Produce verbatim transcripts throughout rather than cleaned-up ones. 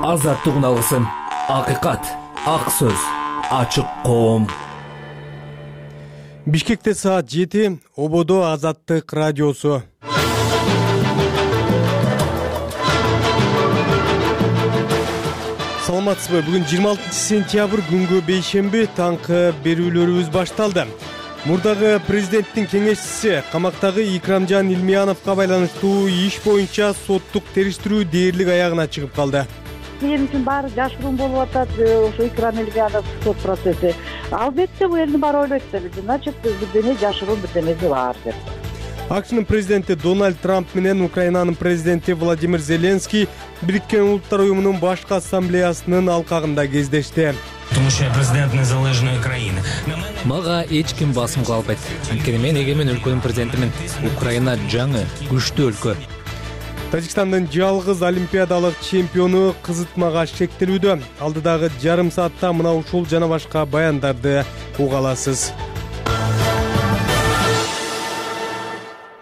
азаттык алгысын, акыйкат, ак сөз, ачык коом. Бишкекте саат жети, Ободо Азаттык радиосу. Саламатсызбы? Бүгүн жыйырма алтынчы сентябрь күнгө бейшемби таңкы берүүлөрүбүз башталды. Мурдагы президенттин кеңешчиси камактагы Икрамжан Илмияновго байланыштуу иш боюнча соттук териштирүү дээрлик аягына чыгып калды. Мен үчүн баары жашыруун болуп атат, ошо Икрам Илмиянов сот процесси. Албетте бул элдин баары ойлойт да, значит, бирдене жашыруун, бирденеси бар деп. АКШнын президенти Дональд Трамп менен Украинанын президенти Владимир Зеленский Бириккен Улуттар уюмунун башкы ассамблеясынын алкагында кездешти. Тому що я президент незалежної країни. Мага эч ким басым кылбайт. Анткени мен эгемен өлкөнүн президентимин. Украина жаңы, күчтүү өлкө. Тажикстандын жалгыз олимпиадалык чемпиону кызытмага шектелүүдө. Алдыдагы жарым саатта мына ушул жана башка баяндарды уга аласыз.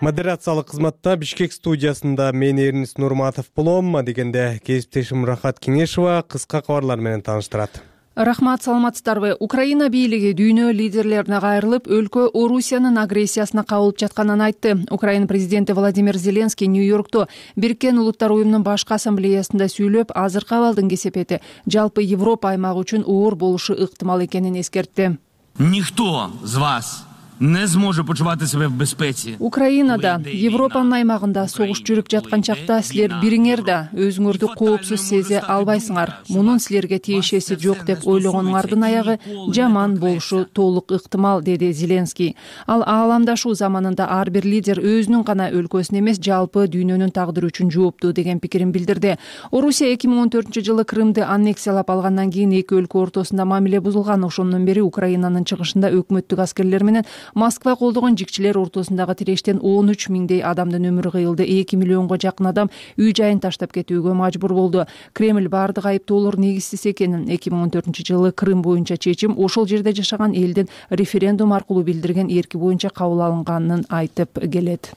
Модерациялык кызматта Бишкек студиясында мен Эрнис Нурматов болом. Дегенде кесиптешим Рахат Кеңешова кыска кабарлар менен тааныштырат. Рахмат, саламатсыздарбы? Украина бийлиги дүйнө лидерлерине кайрылып, өлкө Орусиянын агрессиясына кабылып жатканын айтты. Украина президенти Владимир Зеленский Нью-Йоркто Бириккен Улуттар уюмунун башкы ассамблеясында сүйлөп, азыркы абалдын кесепети жалпы Европа аймагы үчүн оор болушу ыктымал экенин эскертти. Ніхто з вас не зможе почувати себе в безпеці. Украинада, Европанын аймагында согуш жүрүп жаткан чакта силер бириңер да өзүңөрдү коопсуз сезе албайсыңар. Мунун силерге тиешеси жок деп ойлогонуңардын аягы жаман болушу толук ыктымал, деди Зеленский. Ал ааламдашуу заманында ар бир лидер өзүнүн гана өлкөсүн эмес, жалпы дүйнөнүн тагдыры үчүн жооптуу деген пикирин билдирди. Орусия эки миң он төртүнчү жылы Крымды аннексиялап алгандан кийин эки өлкө ортосунда мамиле бузулган. Ошондон бери Украинанын чыгышында өкмөттүк аскерлер менен Москва колдогон жикчилер ортосундагы тирештен он үч миңдей адамдын өмүрү кыйылды. эки миллионго жакын адам үй жайын таштап кетүүгө мажбур болду. Кремль бардык айыптоолор негизсиз экенин, эки миң он төртүнчү жылы Крым боюнча чечим ошол жерде жашаган элдин референдум аркылуу билдирген эрки боюнча кабыл алынганын айтып келет.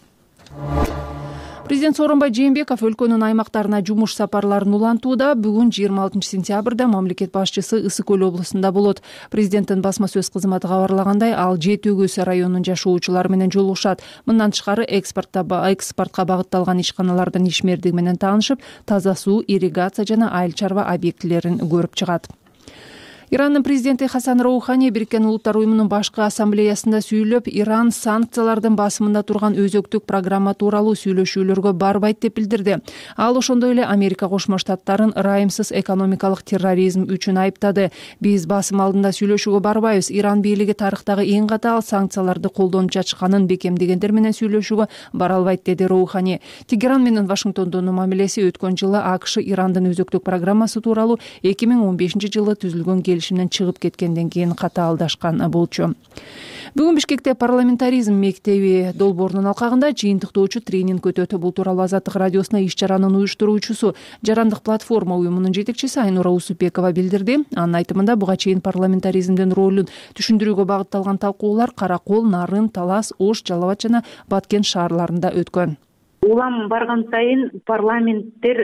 Президент Сооронбай Жээнбеков өлкөнүн аймактарына жумуш сапарларын улантууда. Бүгүн жыйырма алтынчы сентябрда мамлекет башчысы Ысык Көл облусунда болот. Президенттин басма сөз кызматы кабарлагандай, ал Жети Өгүз районунун жашоочулары менен жолугушат. Мындан тышкары экспортко экспортко багытталган ишканалардын ишмердиги менен таанышып, таза суу, ирригация жана айыл чарба объектилерин көрүп чыгат. Ирандын президенти Хасан Роухани Бириккен Улуттар уюмунун башкы ассамблеясында сүйлөп, Иран санкциялардын басымында турган өзөктүк программа тууралуу сүйлөшүүлөргө барбайт деп билдирди. Ал ошондой эле Америка Кошмо Штаттарын ырайымсыз экономикалык терроризм үчүн айыптады. Биз басым алдында сүйлөшүүгө барбайбыз. Иран бийлиги тарыхтагы эң катаал санкцияларды колдонуп жатышканын бекемдегендер менен сүйлөшүүгө бара албайт, деди Роухани. Тегеран менен Вашингтондун мамилеси өткөн жылы АКШ Ирандын өзөктүк программасы тууралуу эки миң он бешинчи жылы түзүлгөн келишимден чыгып кеткенден кийин катаалдашкан болчу. Бүгүн Бишкекте парламентаризм мектеби долбоорунун алкагында жыйынтыктоочу тренинг өтөт. Бул тууралуу Азаттык радиосуна иш чаранын уюштуруучусу, Жарандык платформа уюмунун жетекчиси Айнура Усупбекова билдирди. Анын айтымында, буга чейин парламентаризмдин ролун түшүндүрүүгө багытталган талкуулар Каракол, Нарын, Талас, Ош, Жалал Абад жана Баткен шаарларында өткөн. Улам барган сайын парламенттер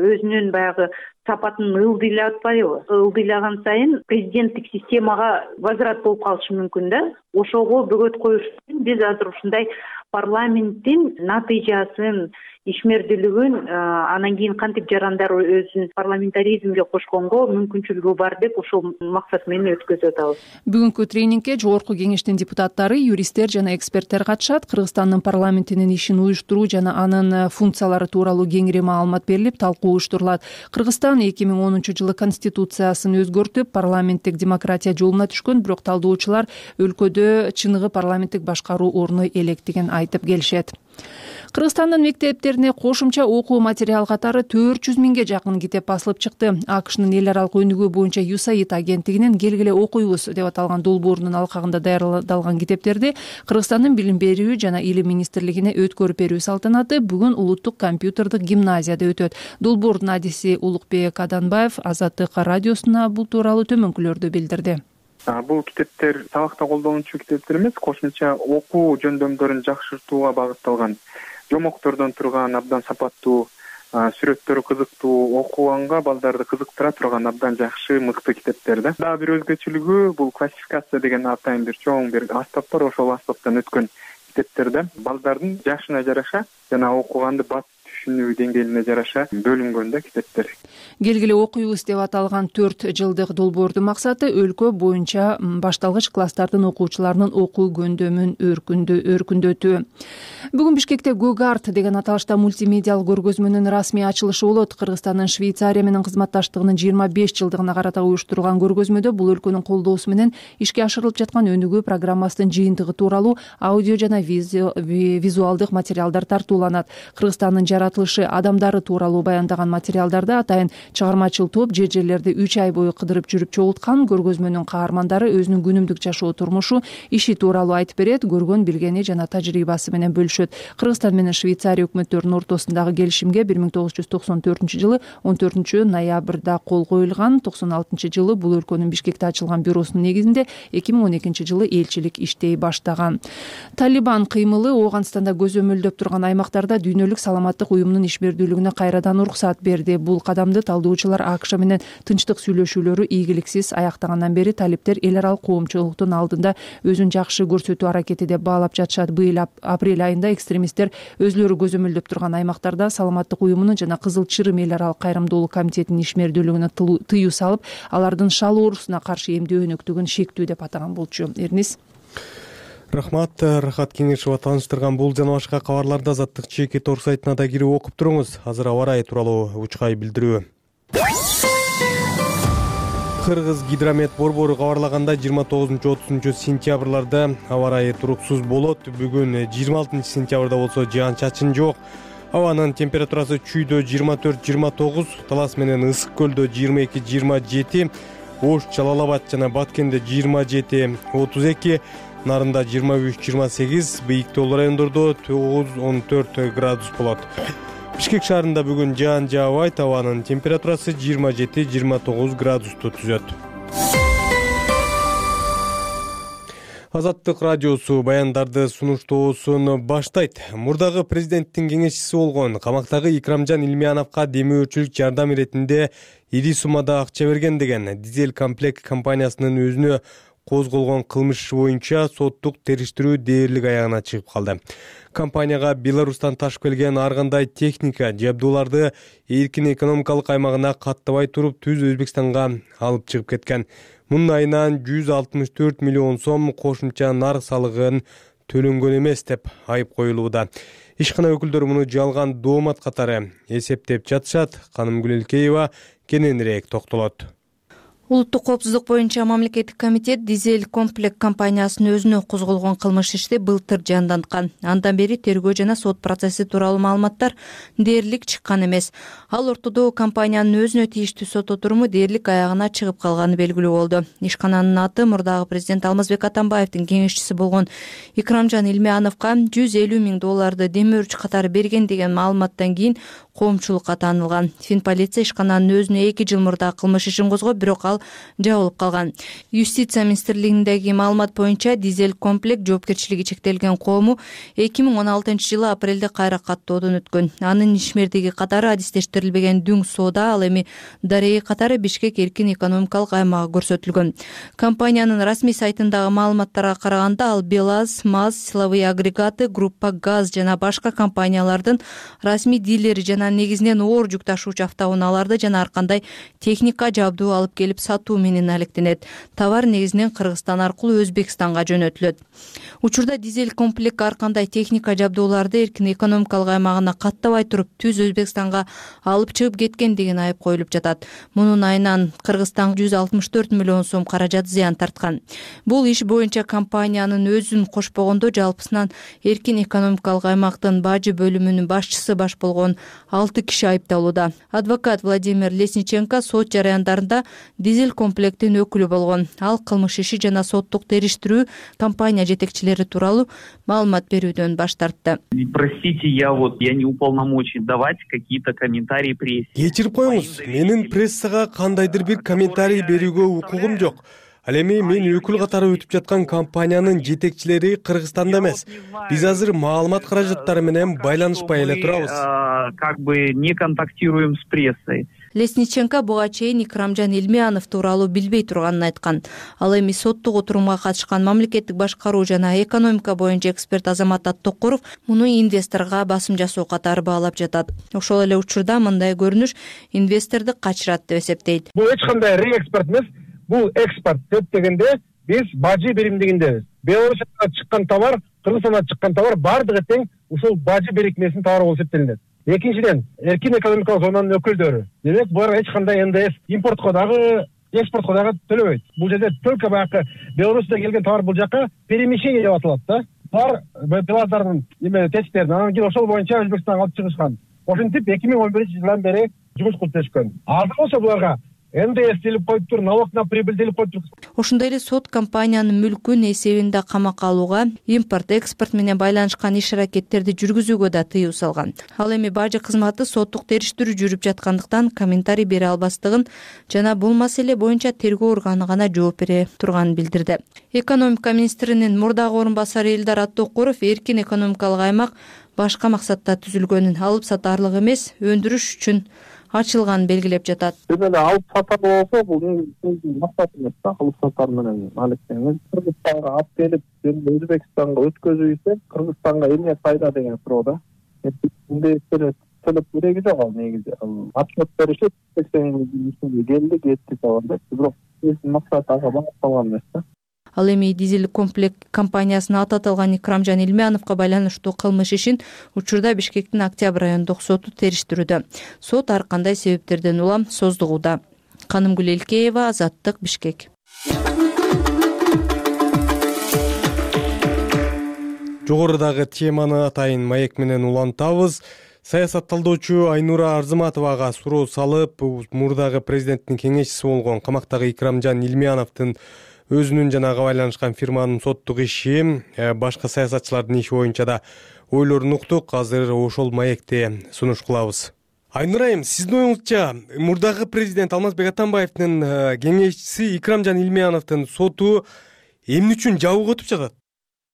өзүнүн баягы сапатын ылдыйлап атпайбы? Ылдыйлаган сайын президенттик системага возврат болуп калышы мүмкүн да. Ошого бөгөт коюш үчүн биз азыр ушундай парламенттин натыйжасын, ишмердүүлүгүн, анан кийин кантип жарандар өзүн парламентаризмге кошконго мүмкүнчүлүгү бар деп ошол максат менен өткөзүп атабыз. Бүгүнкү тренингке жогорку кеңештин депутаттары, юристтер жана эксперттер катышат. Кыргызстандын парламентинин ишин уюштуруу жана анын функциялары тууралуу кеңири маалымат берилип, талкуу уюштурулат. Кыргызстан эки миң онунчу жылы конституциясын өзгөртүп, парламенттик демократия жолуна түшкөн, бирок талдоочулар өлкөдө чыныгы парламенттик башкаруу орной электигин айтып келишет. Кыргызстандын мектептерине кошумча окуу материал катары төрт жүз миңге жакын китеп басылып чыкты. АКШнын эл аралык өнүгүү боюнча ю эс эй ай ди агенттигинин «Келгиле окуйбуз» деп аталган долбоорунун алкагында даярдалган китептерди Кыргызстандын билим берүү жана илим министрлигине өткөрүп берүү салтанаты бүгүн Улуттук компьютердик гимназияда өтөт. Долбоордун адиси Улукбек Аданбаев Азаттык радиосуна бул тууралуу төмөнкүлөрдү билдирди. Бул китептер сабакта колдонуучу китептер эмес, кошумча окуу жөндөмдөрүн жакшыртууга багытталган, жомоктордон турган абдан сапаттуу сүрөттөрү кызыктуу, окуганга балдарды кызыктыра турган абдан жакшы, мыкты китептер да. Дагы бир өзгөчөлүгү бул классификация деген атайын бир чоң бир аспап бар, ошол аспаптан өткөн китептер да. Балдардын жашына жараша жана окуганды бат түшүнүү деңгээлине жараша бөлүнгөн да китептер. Келгиле окуйбуз деп аталган төрт жылдык долбоордун максаты өлкө боюнча башталгыч класстардын окуучуларынын окуу көөндөмүн өркүндөтүү. Бүгүн Бишкекте Гогарт деген аталышта мультимедиалык көргөзмөнүн расмий ачылышы болот. Кыргызстандын Швейцария менен кызматташтыгынын жыйырма беш жылдыгына карата уюштурулган көргөзмөдө бул өлкөнүн колдоосу менен ишке ашырылып жаткан өнүгүү программасынын жыйынтыгы тууралуу аудио жана визуалдык материалдар тартууланат. Кыргызстандын жаратылышы адамдары тууралуу баяндаган материалдарда атайын чыгармачыл топ жер жерлерди үч ай бою кыдырып жүрүп чогулткан. Көргөзмөнүн каармандары өзүнүн күнүмдүк жашоо турмушу, иши тууралуу айтып берет, көргөн билгени жана тажрыйбасы менен бөлүшөт. Кыргызстан менен Швейцария өкмөттөрүнүн ортосундагы келишимге бир миң тогуз жүз токсон төртүнчү жылы он төртүнчү ноябрда кол коюлган. токсон алтынчы жылы бул өлкөнүн Бишкекте ачылган бюросунун негизинде эки миң он экинчи жылы элчилик иштей баштаган. Талибан кыймылы Ооганстанда көзөмөлдөп турган аймактарда дүйнөлүк саламаттык уюмунун ишмердүүлүгүнө кайрадан уруксат берди. Бул кадамды талдоочулар АКШ менен тынчтык сүйлөшүүлөрү ийгиликсиз аяктагандан бери талиптер эл аралык коомчулуктун алдында өзүн жакшы көрсөтүү аракети деп баалап жатышат. Быйыл апрель айында экстремисттер өзүлөрү көзөмөлдөп турган аймактарда саламаттык уюмунун жана Кызыл Чырым эл аралык кайрымдуулук комитетинин ишмердүүлүгүнө тыюу салып, алардын шал оорусуна каршы эмдөө өнөктүгүн шектүү деп атаган болчу. Эрнис. Рахмат, Рахат Кеңешова тааныштырган бул жана башка кабарларды Азаттык чеки тор сайтына да кирип окуп туруңуз. Азыр аба ырайы тууралуу учкай билдирүү. Кыргыз гидромет борбору кабарлагандай жыйырма тогузунчу отузунчу сентябрларда аба ырайы туруксуз болот. Бүгүн жыйырма алтынчы сентябрда болсо жаан-чачын жок. Абанын температурасы Чүйдө жыйырма төрт жыйырма тогуз, Талас менен Ысык көлдө жыйырма эки жыйырма жети, Ош, Жалал-Абад жана Баткенде жыйырма жети отуз эки, Нарында жыйырма үч жыйырма сегиз, бийиктүү райондордо тогуз он төрт градус болот. Бишкек шаарында бүгүн жаан жаабайт, абанын температурасы жыйырма жети жыйырма тогуз градусту түзөт. Азаттык радиосу баяндарды сунуштоосун баштайт. Мурдагы президенттин кеңешчиси болгон камактагы Икрамжан Илмияновго демөөрчүлүк жардам иретинде ири суммада акча берген деген Дизель комплект компаниясынын өзүнө козголгон кылмыш боюнча соттук териштирүү дээрлик аягына чыгып калды. Компанияга Беларустан ташып келген ар кандай техника, жабдууларды эркин экономикалык аймагына каттабай туруп түз Өзбекстанга алып чыгып кеткен. Мунун айынан жүз алтымыш төрт миллион сом кошумча нарк салыгын төлөнгөн эмес деп айып коюлууда. Ишкана өкүлдөрү муну жалган доомат катары эсептеп жатышат. Канымгүл Элкеева кененирээк токтолот. Улуттук коопсуздук боюнча мамлекеттик комитет Дизель комплект компаниясынын өзүнө козголгон кылмыш ишти былтыр жанданткан. Андан бери тергөө жана сот процесси тууралуу маалыматтар дээрлик чыккан эмес. Ал ортодо компаниянын өзүнө тийиштүү сот отуруму дээрлик аягына чыгып калганы белгилүү болду. Ишкананын аты мурдагы президент Алмазбек Атамбаевдин кеңешчиси болгон Икрамжан Илмияновго жүз элүү миң долларды демөөрчү катары берген деген маалыматтан кийин коомчулукка таанылган. Финполиция ишкананын өзүнө эки жыл мурда кылмыш ишин козгоп, бирок ал жабылып калган. Юстиция министрлигиндеги маалымат боюнча Дизель комплект жоопкерчилиги чектелген коому эки миң он алтынчы жылы апрелде кайра каттоодон өткөн. Анын ишмердиги катары адистештирилбеген Дүң соода, ал эми Дарей катары Бишкек эркин экономикалык аймагы көрсөтүлгөн. Компаниянын расмий сайтындагы маалыматтарга караганда, ал БелАЗ, МАЗ, силовые агрегаты, Группа ГАЗ жана башка компаниялардын расмий дилери жана негизинен оор жүк ташуучу автоунааларды жана ар кандай техника, жабдуу алып келип сатуу менен алектенет. Товар негизинен Кыргызстан аркылуу Өзбекстанга жөнөтүлөт. Учурда Дизель комплект ар кандай техника, жабдууларды эркин экономикалык аймагына каттабай туруп түз Өзбекстанга алып чыгып кеткен деген айып коюлуп жатат. Мунун айынан Кыргызстан жүз алтымыш төрт миллион сом каражат зыян тарткан. Бул иш боюнча компаниянын өзүн кошпогондо жалпысынан эркин экономикалык аймактын бажы бөлүмүнүн башчысы баш болгон алты киши айыпталууда. Адвокат Владимир Лесниченко сот жараяндарында Дизель комплектин өкүлү болгон. Ал кылмыш иши жана соттук териштирүү компания жетекчилери тууралуу маалымат берүүдөн баш тартты. Простите, я вот я не уполномочен давать какие-то комментарии прессе. Кечирип коюңуз, менин прессага кандайдыр бир комментарий берүүгө укугум жок. Ал эми мен өкүл катары өтүп жаткан компаниянын жетекчилери Кыргызстанда эмес. Биз азыр маалымат каражаттары менен байланышпай эле турабыз. Как бы не контактируем с прессой. Лесниченко буга чейин Икрамжан Илмиянов тууралуу билбей турганын айткан. Ал эми соттук отурумга катышкан мамлекеттик башкаруу жана экономика боюнча эксперт Азамат Аттокуров муну инвесторго басым жасоо катары баалап жатат. Ошол эле учурда мындай көрүнүш инвесторду качырат деп эсептейт. Бул эч кандай реэкспорт эмес, бул экспорт деп дегенде биз бажы биримдигиндебиз. Беларусиядан чыккан товар, Кыргызстандан чыккан товар бардыгы тең ушул бажы бирикмесинин товары болуп эсептелинет. Экинчиден, эркин экономикалык зонанын өкүлдөрү. Демек, булар эч кандай эн дэ эс импортко дагы, экспортко дагы төлөбөйт. Бул жерде только баягы Беларусиядан келген товар бул жака перемещение деп аталат да. Булар беларуздардын эме тестерин, анан кийин ошол боюнча Өзбекстанга алып чыгышкан. Ошентип эки миң он биринчи жылдан бери жумуш кылып келишкен. Азыр болсо буларга эн дэ эс делип коюптур, налог на прибыль делип коюптур. Ошондой эле сот компаниянын мүлкүн эсебинде камакка алууга, импорт, экспорт менен байланышкан иш-аракеттерди жүргүзүүгө да тыюу салган. Ал эми бажы кызматы соттук териштирүү жүрүп жаткандыктан комментарий бере албастыгын жана бул маселе боюнча тергөө органы гана жооп бере турганын билдирди. Экономика министринин мурдагы орун басары Элдар Аттокуров эркин экономикалык аймак башка максатта түзүлгөнүн, алып сатарлык эмес, өндүрүш үчүн ачылганын белгилеп жатат. Эле алып сатар болсо, бул максат эмес да, алып сатар менен алектеңиз. Кыргызстанга алып келип, Өзбекстанга өткөзүүсө, Кыргызстанга эмне пайда деген суроо да. Эми төлөп кереги жок ал негизи. Отчет беришип, сексен келди, кетти товарда. Бирок максат ага багытталган эмес да. Ал эми дизель комплект компаниясына аты аталган Икрамжан Илмияновго байланыштуу кылмыш ишин учурда Бишкектин Октябрь райондук соту териштирүүдө. Сот ар кандай себептерден улам создугуда. Канымгүл Элкеева, Азаттык, Бишкек. Жогорудагы теманы атайын маек менен улантабыз. Саясат талдоочу Айнура Арзыматовага суроо салып, мурдагы президенттин кеңешчиси болгон камактагы Икрамжан Илмияновдун өзүнүн жана ага байланышкан фирманын соттук иши, башка саясатчылардын иши боюнча да ойлорун уктук. Азыр ошол маекте сунуш кылабыз. Айнура айым, сиздин оюңузча мурдагы президент Алмазбек Атамбаевдин кеңешчиси Икрамжан Илмияновдун соту эмне үчүн жабык өтүп жатат?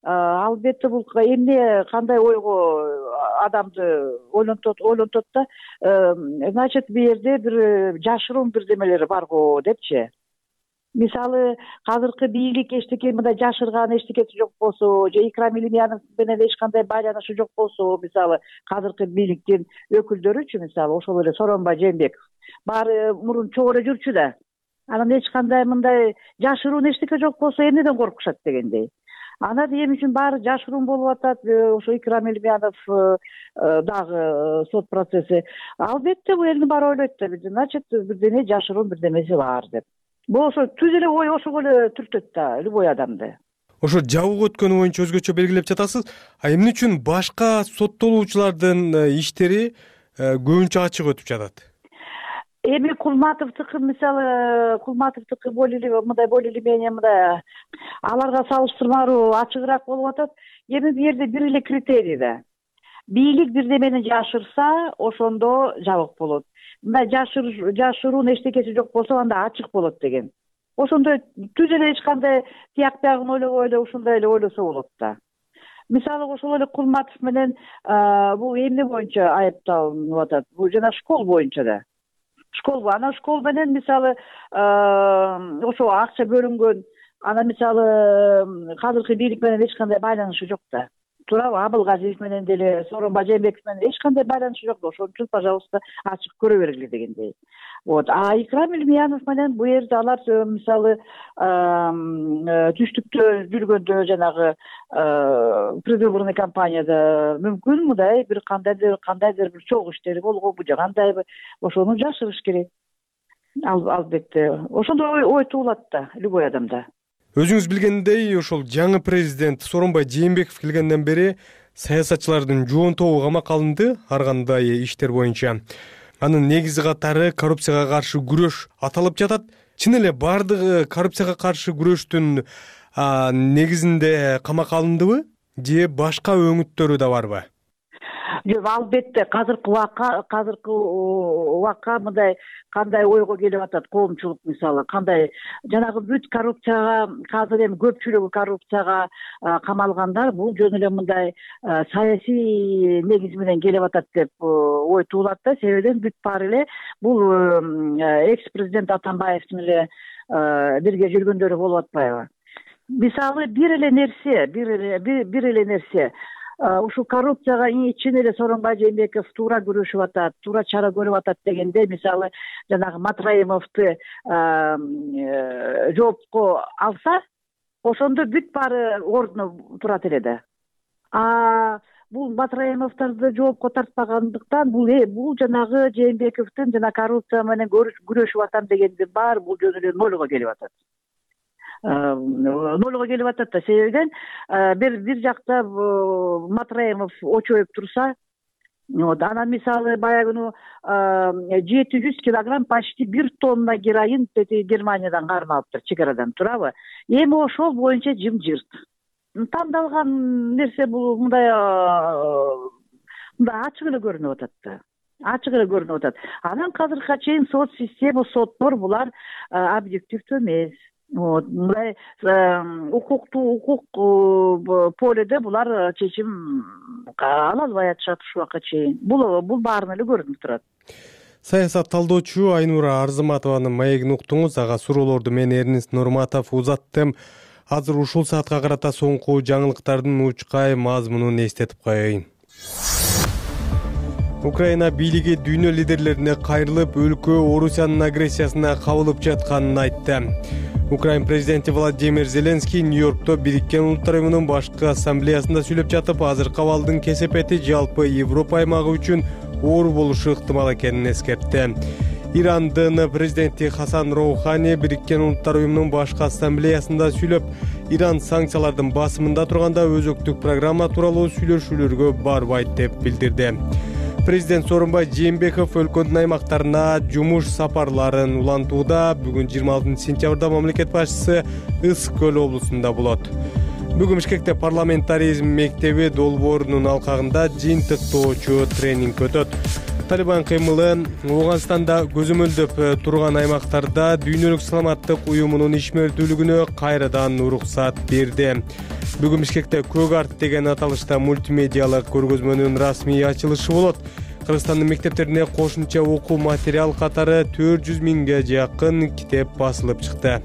Албетте бул эмне кандай ойго адамды ойлонтот ойлонтот да, значит бу жерде бир жашыруун бирдемелер бар го депчи. Мисалы, азыркы бийлик эчтеке мындай жашырган эчтекеси жок болсо, же Икрам Илмиянов менен эч кандай байланышы жок болсо, мисалы, азыркы бийликтин өкүлдөрүчү, мисалы, ошол эле Сооронбай Жээнбеков баары мурун чогуу эле жүрчү да. Анан эч кандай мындай жашыруун эчтеке жок болсо эмнеден коркушат дегендей. Анан эми үчүн баары жашыруун болуп атат, ошо Икрам Илмиянов дагы сот процесси. Албетте бул элдин баары ойлойт да, значит, бирдеме жашыруун бирдемеси бар деп. Болсо түз эле ой ошого эле түртөт да любой адамды. Ошо жабык өткөнү боюнча өзгөчө белгилеп жатасыз. А эмне үчүн башка соттолуучулардын иштери көбүнчө ачык өтүп жатат? Эми Кулматовдуку, мисалы, Кулматовдуку болели мындай болели менен мындай аларга салыштырмалуу ачыгыраак болуп атат. Эми бу жерде бир эле критерий да. Бийлик бирдемени жашырса, ошондо жабык болот. Мына жашыр жашыруун эчтекеси жок болсо, анда ачык болот деген. Ошондой түз эле эч кандай тияк биягын ойлобой эле ушундай эле ойлосо болот да. Мисалы, ошол эле Кулматов менен бул эмне боюнча айыпталынып атат? Бул жана школ боюнча да. Школ, анан школ менен мисалы ошо акча бөлүнгөн, анан мисалы азыркы бийлик менен эч кандай байланышы жок да. Туурабы, Абылгазиев менен деле, Сооронбай Жээнбеков менен эч кандай байланышы жок да. Ошон үчүн, пожалуйста, ачык көрө бергиле дегендей. Вот. А Икрам Илмиянов менен бу жерде алар мисалы түштүктө жүргөндө жанагы предвыборный кампанияда мүмкүн мындай бир кандайдыр кандайдыр бир чогуу иштери болгонбу же кандайбы, ошону жашырыш керек. Албетте, ошондой ой туулат да любой адамда. Өзүңүз билгендей, ошол жаңы президент Сооронбай Жээнбеков келгенден бери саясатчылардын жоон тобу камакка алынды ар кандай иштер боюнча. Анын негизи катары коррупцияга каршы күрөш аталып жатат. Чын эле бардыгы коррупцияга каршы күрөштүн негизинде камакка алындыбы же башка өңүттөрү да барбы? жок, албетте азыркы убакка азыркы убакка мындай кандай ойго келип атат коомчулук, мисалы кандай жанагы бүт коррупцияга, азыр эми көпчүлүгү коррупцияга камалгандар бул жөн эле мындай саясий негиз менен келип атат деп ой туулат да. Себебинен бүт баары эле бул экс президент Атамбаевдин эле бирге жүргөндөрү болуп атпайбы? Мисалы бир эле нерсе, бир эле бир эле нерсе ушул коррупцияга чын эле Сооронбай Жээнбеков туура күрөшүп атат, туура чара көрүп атат дегенде, мисалы жанагы Матраимовду жоопко алса, ошондо бүт баары ордуна турат эле да. А бул Матраимовдорду жоопко тартпагандыктан бул бул жанагы Жээнбековдун жана коррупция менен күрөшүп атам дегенди баары бул жөн эле нолго келип атат. Нолго келип атат да. Себебинен бир бир жакта Матраимов очоюп турса, анан мисалы баягы жети жүз килограмм почти бир тонна героин Германиядан кармап алыптыр, чек арадан, туурабы? Эми ошол боюнча жымжырт. Тандалган нерсе бул мындай мындай ачык эле көрүнүп атат да. Ачык эле көрүнүп атат. Анан азыркыга чейин сот система, соттор булар объективдүү эмес. Вот, мындай укуктуу укук поледе булар чечим ала албай атышат ушул убакка чейин. Бул бул баарын эле көрүнүп турат. Саясат талдоочу Айнура Арзыматованын маегин уктуңуз. Ага суроолорду мен Эрнест Нурматов узаттым. Азыр ушул саатка карата соңку жаңылыктардын учкай мазмунун эстетип коеюн. Украина бийлиги дүйнө лидерлерине кайрылып, өлкө Орусиянын агрессиясына кабылып жатканын айтты. Украин президенти Владимир Зеленский Нью-Йоркто Бириккен Улуттар Уюмунун башкы ассамблеясында сүйлөп жатып, азыркы абалдын кесепети жалпы Европа аймагы үчүн оор болушу ыктымал экенин эскертти. Ирандын президенти Хасан Роухани Бириккен Улуттар Уюмунун башкы ассамблеясында сүйлөп, Иран санкциялардын басымында турганда өзөктүк программа тууралуу сүйлөшүүлөргө барбайт деп билдирди. Президент Сооронбай Жээнбеков өлкөнүн аймактарына жумуш сапарларын улантууда. Бүгүн жыйырма алтынчы сентябрда мамлекет башчысы Ысык көл облусунда болот. Бүгүн Бишкекте парламентаризм мектеби долбоорунун алкагында жыйынтыктоочу тренинг өтөт. Талибан кыймылы Ооганстанда көзөмөлдөп турган аймактарда Дүйнөлүк саламаттык уюмунун ишмердүүлүгүнө кайрадан уруксат берди. Бүгүн Бишкекте Көк арт деген аталышта мультимедиалык көргөзмөнүн расмий ачылышы болот. Кыргызстандын мектептерине кошумча окуу материал катары төрт жүз миңге жакын китеп басылып чыкты.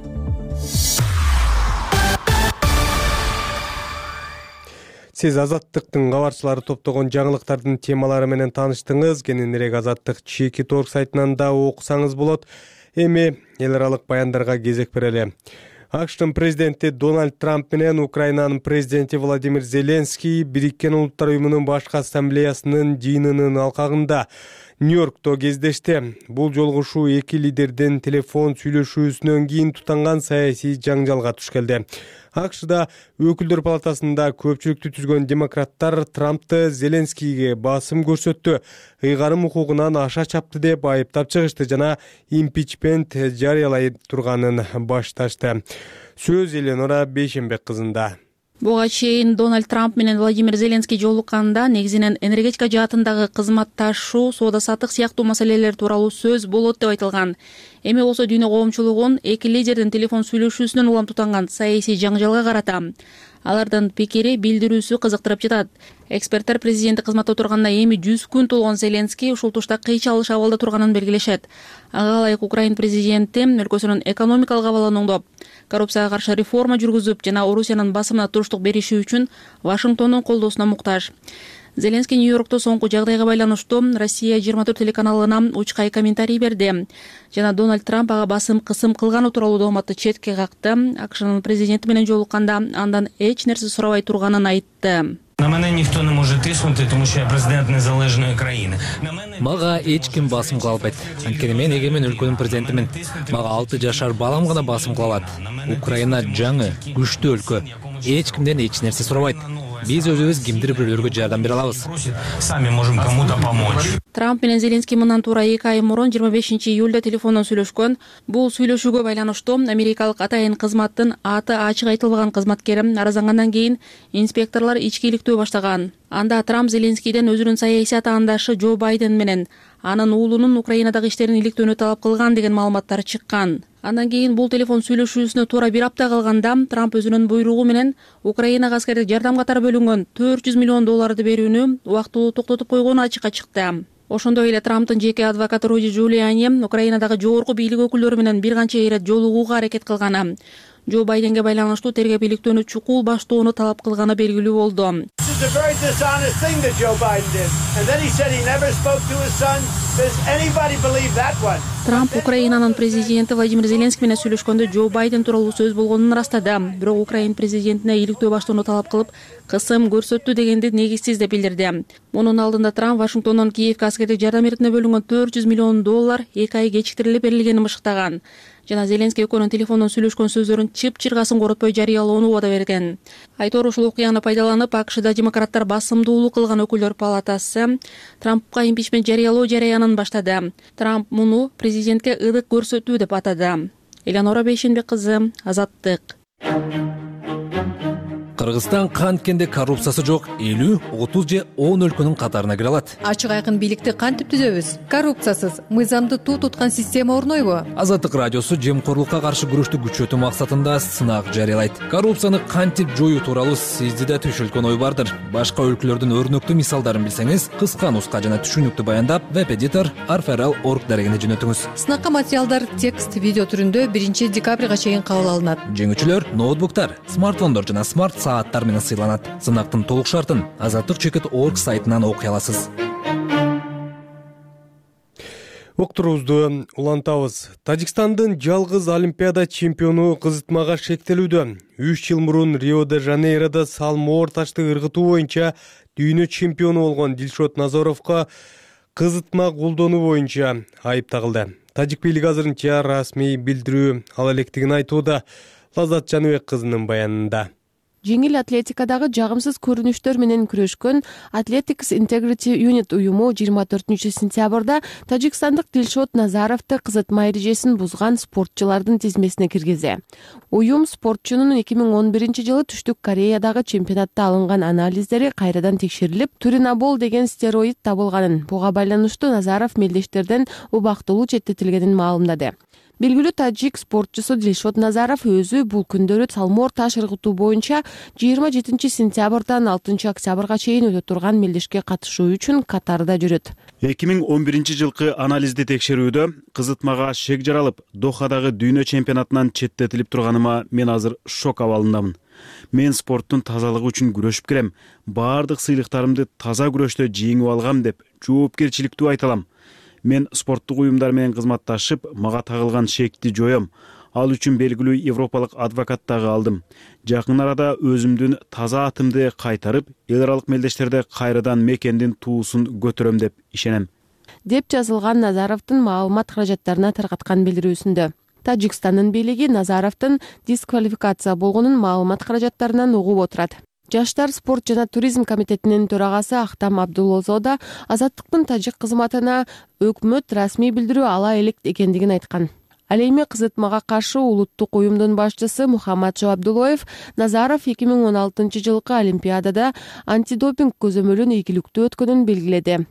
Сиз Азаттыктын кабарчылары топтогон жаңылыктардын темалары менен тааныштыңыз. Кененирээк Азаттык чеки торг сайтынан да окусаңыз болот. Эми эл аралык баяндарга кезек берели. АКШтын президенти Дональд Трамп менен Украинанын президенти Владимир Зеленский Бириккен Улуттар Уюмунун башкы ассамблеясынын жыйынынын алкагында Нью-Йоркто кездешти. Бул жолугушуу эки лидердин телефон сүйлөшүүсүнөн кийин тутанган саясий жаңжалга туш келди. АКШда өкүлдөр палатасында көпчүлүктү түзгөн демократтар Трампты Зеленскийге басым көрсөттү, ыйгарым укугунан аша чапты деп айыптап чыгышты жана импичмент жарыялай турганын башташты. Сөз Эленора Бейшембек кызында. Буга чейин Дональд Трамп менен Владимир Зеленский жолукканда негизинен энергетика жаатындагы кызматташуу, соода саттык сыяктуу маселелер тууралуу сөз болот деп айтылган. Эми болсо дүйнө коомчулугун эки лидердин телефон сүйлөшүүсүнөн улам тутанган саясий жаңжалга карата. Алардын пикири, билдирүүсү кызыктырып жатат. Эксперттер президенттик кызматта турганда эми жүз күн толгон Зеленский ушул тушта кыйчалыш абалда турганын белгилешет. Ага ылайык Украин президенти өлкөсүнүн экономикалык абалын оңдоп, коррупцияга каршы реформа жүргүзүп жана Орусиянын басымына туруштук бериши үчүн Вашингтондун колдоосуна муктаж. Зеленский Нью-Йоркто соңку жагдайга байланыштуу Россия жыйырма төрт телеканалына учкай комментарий берди. Жана Дональд Трамп ага басым кысым кылганы тууралуу дооматты четке какты. АКШнын президенти менен жолукканда андан эч нерсе сурабай турганын айтты. На мене ніхто не може тиснути, тому що я президент незалежної країни. Мага эч ким басым кыла албайт. Анткени мен эгемен өлкөнүн президентимин. Мага алты жашар балам гана басым кыла алат. Украина жаңы, күчтүү өлкө. Эч кимден эч нерсе сурабайт. биз өзүбүз кимдир бирөөлөргө жардам бере алабыз. Сами можем кому-то помочь. Трамп менен Зеленский мындан туура эки ай мурун жыйырма бешинчи июлда телефондон сүйлөшкөн. Бул сүйлөшүүгө байланыштуу америкалык атайын кызматтын аты ачык айтылбаган кызматкери араздангандан кийин инспекторлор ичкиликтөө баштаган. Анда Трамп Зеленскийден өзүнүн саясий атаандашы Джо Байден менен анын уулунун Украинадагы иштерин иликтөөнү талап кылган деген маалыматтар чыккан. Андан кийин бул телефон сүйлөшүүсүнө туура бир апта калганда Трамп өзүнүн буйругу менен Украинага аскердик жардам катары бөлүнгөн төрт жүз миллион долларды берүүнү убактылуу токтотуп койгону ачыкка чыкты. Ошондой эле Трамптын жеке адвокаты Руди Джулиани Украинадагы жогорку бийлик өкүлдөрү менен бир канча ирет жолугууга аракет кылган. Джо Байденге байланыштуу тергеп иликтөөнү чукул баштоону талап кылганы белгилүү болду. Трамп Украинанын президенти Владимир Зеленский менен сүйлөшкөндө Джо Байден тууралуу сөз болгонун ырастады. Бирок Украин президентине иликтөө баштоону талап кылып, кысым көрсөттү дегенди негизсиз деп билдирди. Мунун алдында Трамп Вашингтондон Киевке аскердик жардам эритине бөлүнгөн төрт жүз миллион доллар эки ай кечиктирилип берилгенин мыштаган. Жана Зеленский экөөнүн телефондон сүйлөшкөн сөздөрүн чып-чыргасын коротпой жарыялоону убада берген. Айтору ушул окуяны пайдаланып, АКШда демократтар басымдуулук кылган өкүлдөр палатасы Трампка импичмент жарыялоо жараянын баштады. Трамп муну президентке ыдык көрсөтүү деп атады. Элеонора Бейшенбек кызы, Азаттык. Кыргызстан канткенде коррупциясы жок элүү, отуз же он өлкөнүн катарына кире алат. Ачык айкын бийликти кантип түзөбүз? Коррупциясыз, мыйзамды туу туткан система орнойбу? Азаттык радиосу жемкорлукка каршы күрөштү күчөтүү максатында сынак жарыялайт. Коррупцияны кантип жоюу тууралуу сизди да түшүлгөн ой бардыр. Башка өлкөлөрдүн өрнөктүү мисалдарын билсеңиз, кыска нуска жана түшүнүктүү баяндап, веб-эдитор арферал точка орг дарегине жөнөтүңүз. Сынакка материалдар текст, видео түрүндө биринчи декабрга чейин кабыл алынат. Жеңүүчүлөр ноутбуктар, смартфондор жана смарт сааттар менен сыйланат. Сынактын толук шартын азаттык чекит точка орг сайтынан окуй аласыз. Уктуруубузду улантабыз. Тажикстандын жалгыз олимпиада чемпиону кызытмага шектелүүдө. үч жыл мурун Рио-де-Жанейродо салмоор ташты ыргытуу боюнча дүйнө чемпиону болгон Дилшот Назаровго кызытма колдонуу боюнча айып тагылды. Тажик бийлиги азырынча расмий билдирүү ала электигин айтууда. Лаззат Жаныбек кызынын баянында. Жеңил атлетикадагы жагымсыз көрүнүштөр менен күрөшкөн Athletics Integrity Unit уюму жыйырма төртүнчү сентябрда тажикстандык Дилшот Назаровду кызытма эрежесин бузган спортчулардын тизмесине киргизди. Уюм спортчунун эки миң он биринчи жылы Түштүк Кореядагы чемпионатта алынган анализдери кайрадан текшерилип, туринабол деген стероид табылганын, буга байланыштуу Назаров мелдештерден убактылуу четтетилгенин маалымдады. Белгилүү тажик спортчусу Дилшот Назаров өзү бул күндөрү салмоор таш ыргытуу боюнча жыйырма жетинчи сентябрдан алтынчы октябрга чейин өтө турган мелдешке катышуу үчүн Катарда жүрөт. эки миң он биринчи жылкы анализди текшерүүдө кызытмага шек жаралып, Дохадагы дүйнө чемпионатынан четтетилип турганыма мен азыр шок абалындамын. Мен спорттун тазалыгы үчүн күрөшүп келем. Баардык сыйлыктарымды таза күрөштө жеңип алгам деп жоопкерчиликтүү айта алам. Мен спорттук уюмдар менен кызматташып, мага тагылган шекти жоём. Ал үчүн белгилүү европалык адвокат дагы алдым. Жакын арада өзүмдүн таза атымды кайтарып, эл аралык мелдештерде кайрадан мекендин туусун көтөрөм деп ишенем. Деп жазылган Назаровдун маалымат каражаттарына таркаткан билдирүүсүндө. Тажикстандын бийлиги Назаровдун дисквалификация болгонун маалымат каражаттарынан угуп отурат. Жаштар спорт жана туризм комитетинин төрагасы Ахтам Абдулозо да Азаттыктын тажик кызматына өкмөт расмий билдирүү ала элек экендигин айткан. Ал эми кызытмага каршы улуттук уюмдун башчысы Мухаммадшо Абдулоев Назаров эки миң он алтынчы жылкы Олимпиадада антидопинг көзөмөлүн ийгиликтүү өткөнүн белгиледи.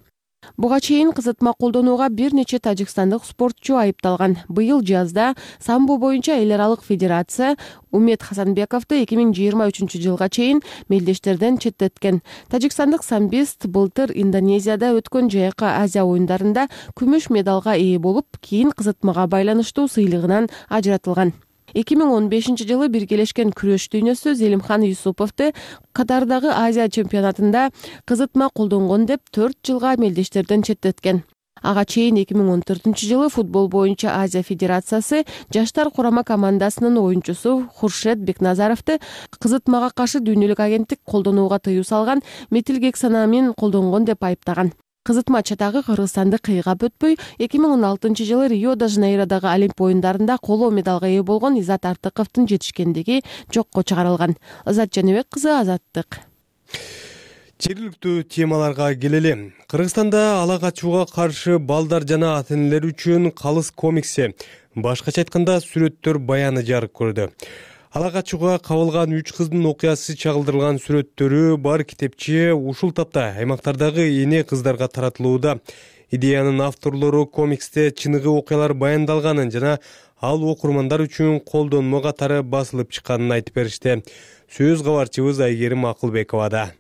Буга чейин кызытма колдонууга бир нече тажикстандык спортчу айыпталган. Быйыл жазда самбо боюнча эл аралык федерация Умет Хасанбековду эки миң жыйырма үчүнчү жылга чейин мелдештерден четтеткен. Тажикстандык самбист былтыр Индонезияда өткөн Жайкы Азия оюндарында күмүш медалга ээ болуп, кийин кызытмага байланыштуу сыйлыгынан ажыратылган. эки миң он бешинчи жылы биргелешкен күрөш дүйнөсү Зелимхан Юсуповду Катардагы Азия чемпионатында кызытма колдонгон деп төрт жылга мелдештерден четтеткен. Ага чейин эки миң он төртүнчү жылы футбол боюнча Азия федерациясы жаштар курама командасынын оюнчусу Хуршед Бекназаровду кызытмага каршы дүйнөлүк агенттик колдонууга тыюу салган метилгексанамин колдонгон деп айыптаган. Кызытма чатагы Кыргызстанды кыйгап өтпөй, эки миң он алтынчы жылы Рио-де-Жанейродогу Олимп оюндарында коло медалга ээ болгон Изат Артыковдун жетишкендиги жокко чыгарылган. Азат Жаныбек кызы, Азаттык. Жергиликтүү темаларга келели. Кыргызстанда ала качууга каршы балдар жана ата энелер үчүн калыс комикси, башкача айтканда сүрөттөр баяны жарык көрдү. Ала качууга кабылган үч кыздын окуясы чагылдырылган сүрөттөрү бар китепче ушул тапта аймактардагы эне кыздарга таратылууда. Идеянын авторлору комиксте чыныгы окуялар баяндалганын жана ал окурмандар үчүн колдонмо катары басылып чыкканын айтып беришти. Сөз кабарчыбыз Айгерим Акылбековада.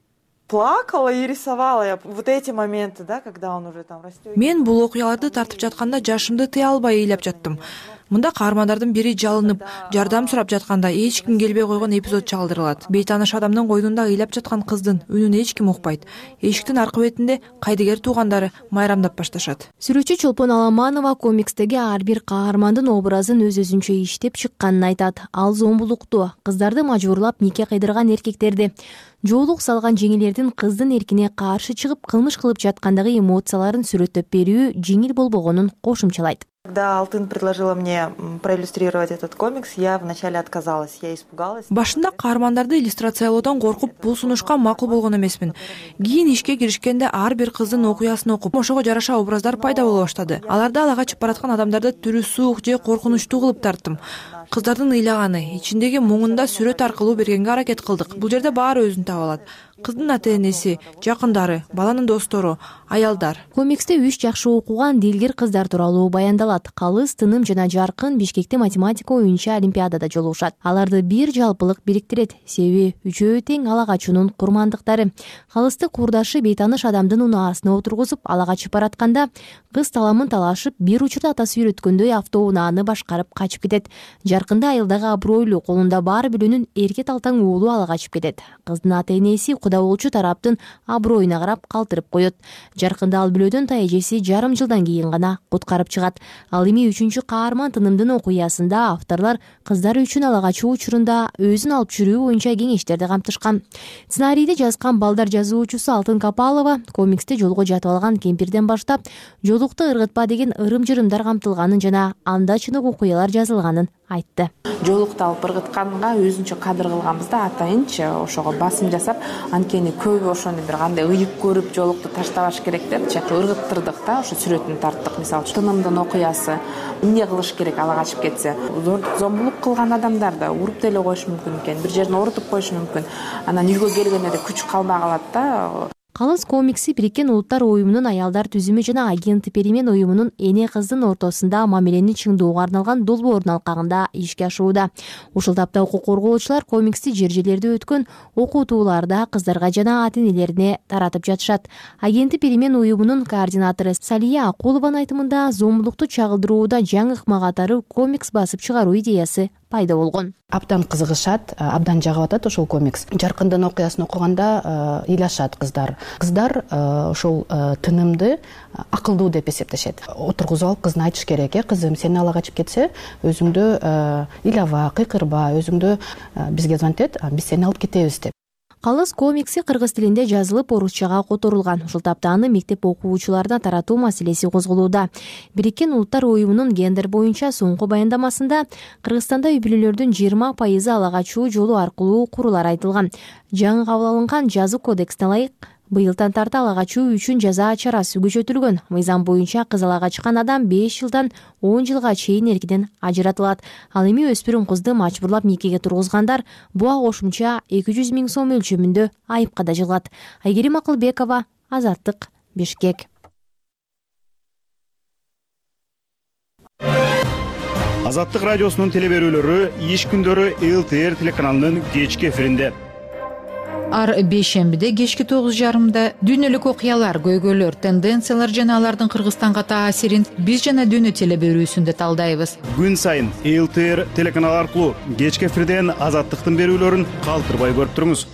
Плакала и рисовала я вот эти моменты, да, когда он уже там растет. Мен бул окуяларды тартып жатканда жашымды тыя албай ыйлап жаттым. Мында каармандардын бири жалынып, жардам сурап жатканда эч ким келбей койгон эпизод чагылдырылат. Бейтааныш адамдын койнунда ыйлап жаткан кыздын үнүн эч ким укпайт. Эшиктин аркы бетинде кайдыгер туугандары майрамдап башташат. Сүрөтчү Чолпон Аламанова комикстеги ар бир каармандын образын өз-өзүнчө иштеп чыкканын айтат. Ал зомбулукту, кыздарды мажбурлап нике кыйдырган эркектерди, жоолук салган жеңилердин кыздын эркине каршы чыгып кылмыш кылып жаткандагы эмоцияларын сүрөттөп берүү жеңил болбогонун кошумчалайт. Когда Алтын предложила мне проиллюстрировать этот комикс, я вначале отказалась, я испугалась. Башында каармандарды иллюстрациялоодон коркуп, бул сунушка макул болгон эмесмин. Кийин ишке киришкенде ар бир кыздын окуясын окуп, ошого жараша образдар пайда боло баштады. Аларды ала качып бараткан адамдарды түрү суук же коркунучтуу кылып тарттым. Кыздардын ыйлаганы, ичиндеги муңунда сүрөт аркылуу бергенге аракет кылдык. Бул жерде баары өзүн таба алат. Кыздын ата-энеси, жакындары, баланын достору, аялдар. Комиксте үч жакшы окуган дилгер кыздар тууралуу баяндалат. Калыс, Тыным жана Жаркын Бишкекте математика оюнча олимпиадада жолугушат. Аларды бир жалпылык бириктирет. Себеби үчөө тең ала качуунун курмандыктары. Калысты курдашы бейтааныш адамдын унаасына отургузуп ала качып баратканда, кыз таламын талашып, бир учурда атасы үйрөткөндөй автоунааны башкарып качып кетет. Жаркында айылдагы абройлуу, колунда бар билүүнүн эрке талтаң уулу ала качып кетет. Кыздын ата-энеси куда болчу тараптын аброюна карап калтырып коет. Жаркында ал билөөдөн та эжеси жарым жылдан кийин гана куткарып чыгат. Ал эми үчүнчү каарман Тынымдын окуясында авторлор кыздар үчүн ала качуу учурунда өзүн алып жүрүү боюнча кеңештерди камтышкан. Сценарийди жазган балдар жазуучусу Алтын Капалова комиксте жолго жатып алган кемпирден баштап жолукту ыргытпа деген ырым-жырымдар камтылганын жана анда чыныгы окуялар жазылганын айтты. Жолукту алып ыргытканга өзүнчө кадыр кылганбыз да, атайынчы ошого басым жасап, анткени көбү ошону бир кандай ыйык көрүп жолукту таштабаш керек депчи, ыргыттырдык да, ошо сүрөтүн тарттык. Мисалы үчүн Тынымдын окуясы эмне кылыш керек ала качып кетсе, зомбулук кылган адамдар да уруп деле коюшу мүмкүн экен, бир жерин оорутуп коюшу мүмкүн. Анан үйгө келгенде күч калбай калат да. Калыс комикси Бириккен Улуттар уюмунун аялдар түзүмү жана агенттик Перемен уюмунун эне кыздын ортосунда мамилени чыңдоого арналган долбоордун алкагында ишке ашууда. Ушул тапта укук коргоочулар комиксти жер жерлерде өткөн окутууларда кыздарга жана ата энелерине таратып жатышат. Агенттик Перемен уюмунун координатору Салия Акулованын айтымында зомбулукту чагылдырууда жаңы ыкма катары комикс басып чыгаруу идеясы пайда болгон. Абдан кызыгышат, абдан жагып атат ошол комикс. Жаркындын окуясын окуганда ыйлашат кыздар. Кыздар ошол Тынымды акылдуу деп эсептешет. Отургузуп алып кызына айтыш керек: "Э, кызым, сени ала качып кетсе, өзүңдү ыйлаба, кыйкырба, өзүңдү бизге звонить эт, биз сени алып кетебиз" деп. Калыс комикси кыргыз тилинде жазылып, орусчага которулган. Ушул тапта аны мектеп окуучуларына таратуу маселеси козголууда. Бириккен Улуттар уюмунун гендер боюнча соңку баяндамасында Кыргызстанда үй бүлөлөрдүн жыйырма пайызы ала качуу жолу аркылуу курулар айтылган. Жаңы кабыл алынган жазуу кодексине ылайык быйылдан тарта ала качуу үчүн жаза чарасы күчөтүлгөн. Мыйзам боюнча кыз ала качкан адам беш жылдан он жылга чейин эркиден ажыратылат. Ал эми өспүрүм кызды мажбурлап никеге тургузгандар буга кошумча эки жүз миң сом өлчөмүндө айыпка да жыгылат. Айгерим Акылбекова, Азаттык, Бишкек. Азаттык радиосунун телеберүүлөрү иш күндөрү Эл Ти Эр телеканалынын кечки эфиринде. Ар бейшембиде кечки тогуз жарымда дүйнөлүк окуялар, көйгөйлөр, тенденциялар жана алардын Кыргызстанга таасирин биз жана дүйнө телеберүүсүндө талдайбыз. Күн сайын Эл Ти Эр телеканалы аркылуу кечки эфирден Азаттыктын берүүлөрүн калтырбай көрүп туруңуз.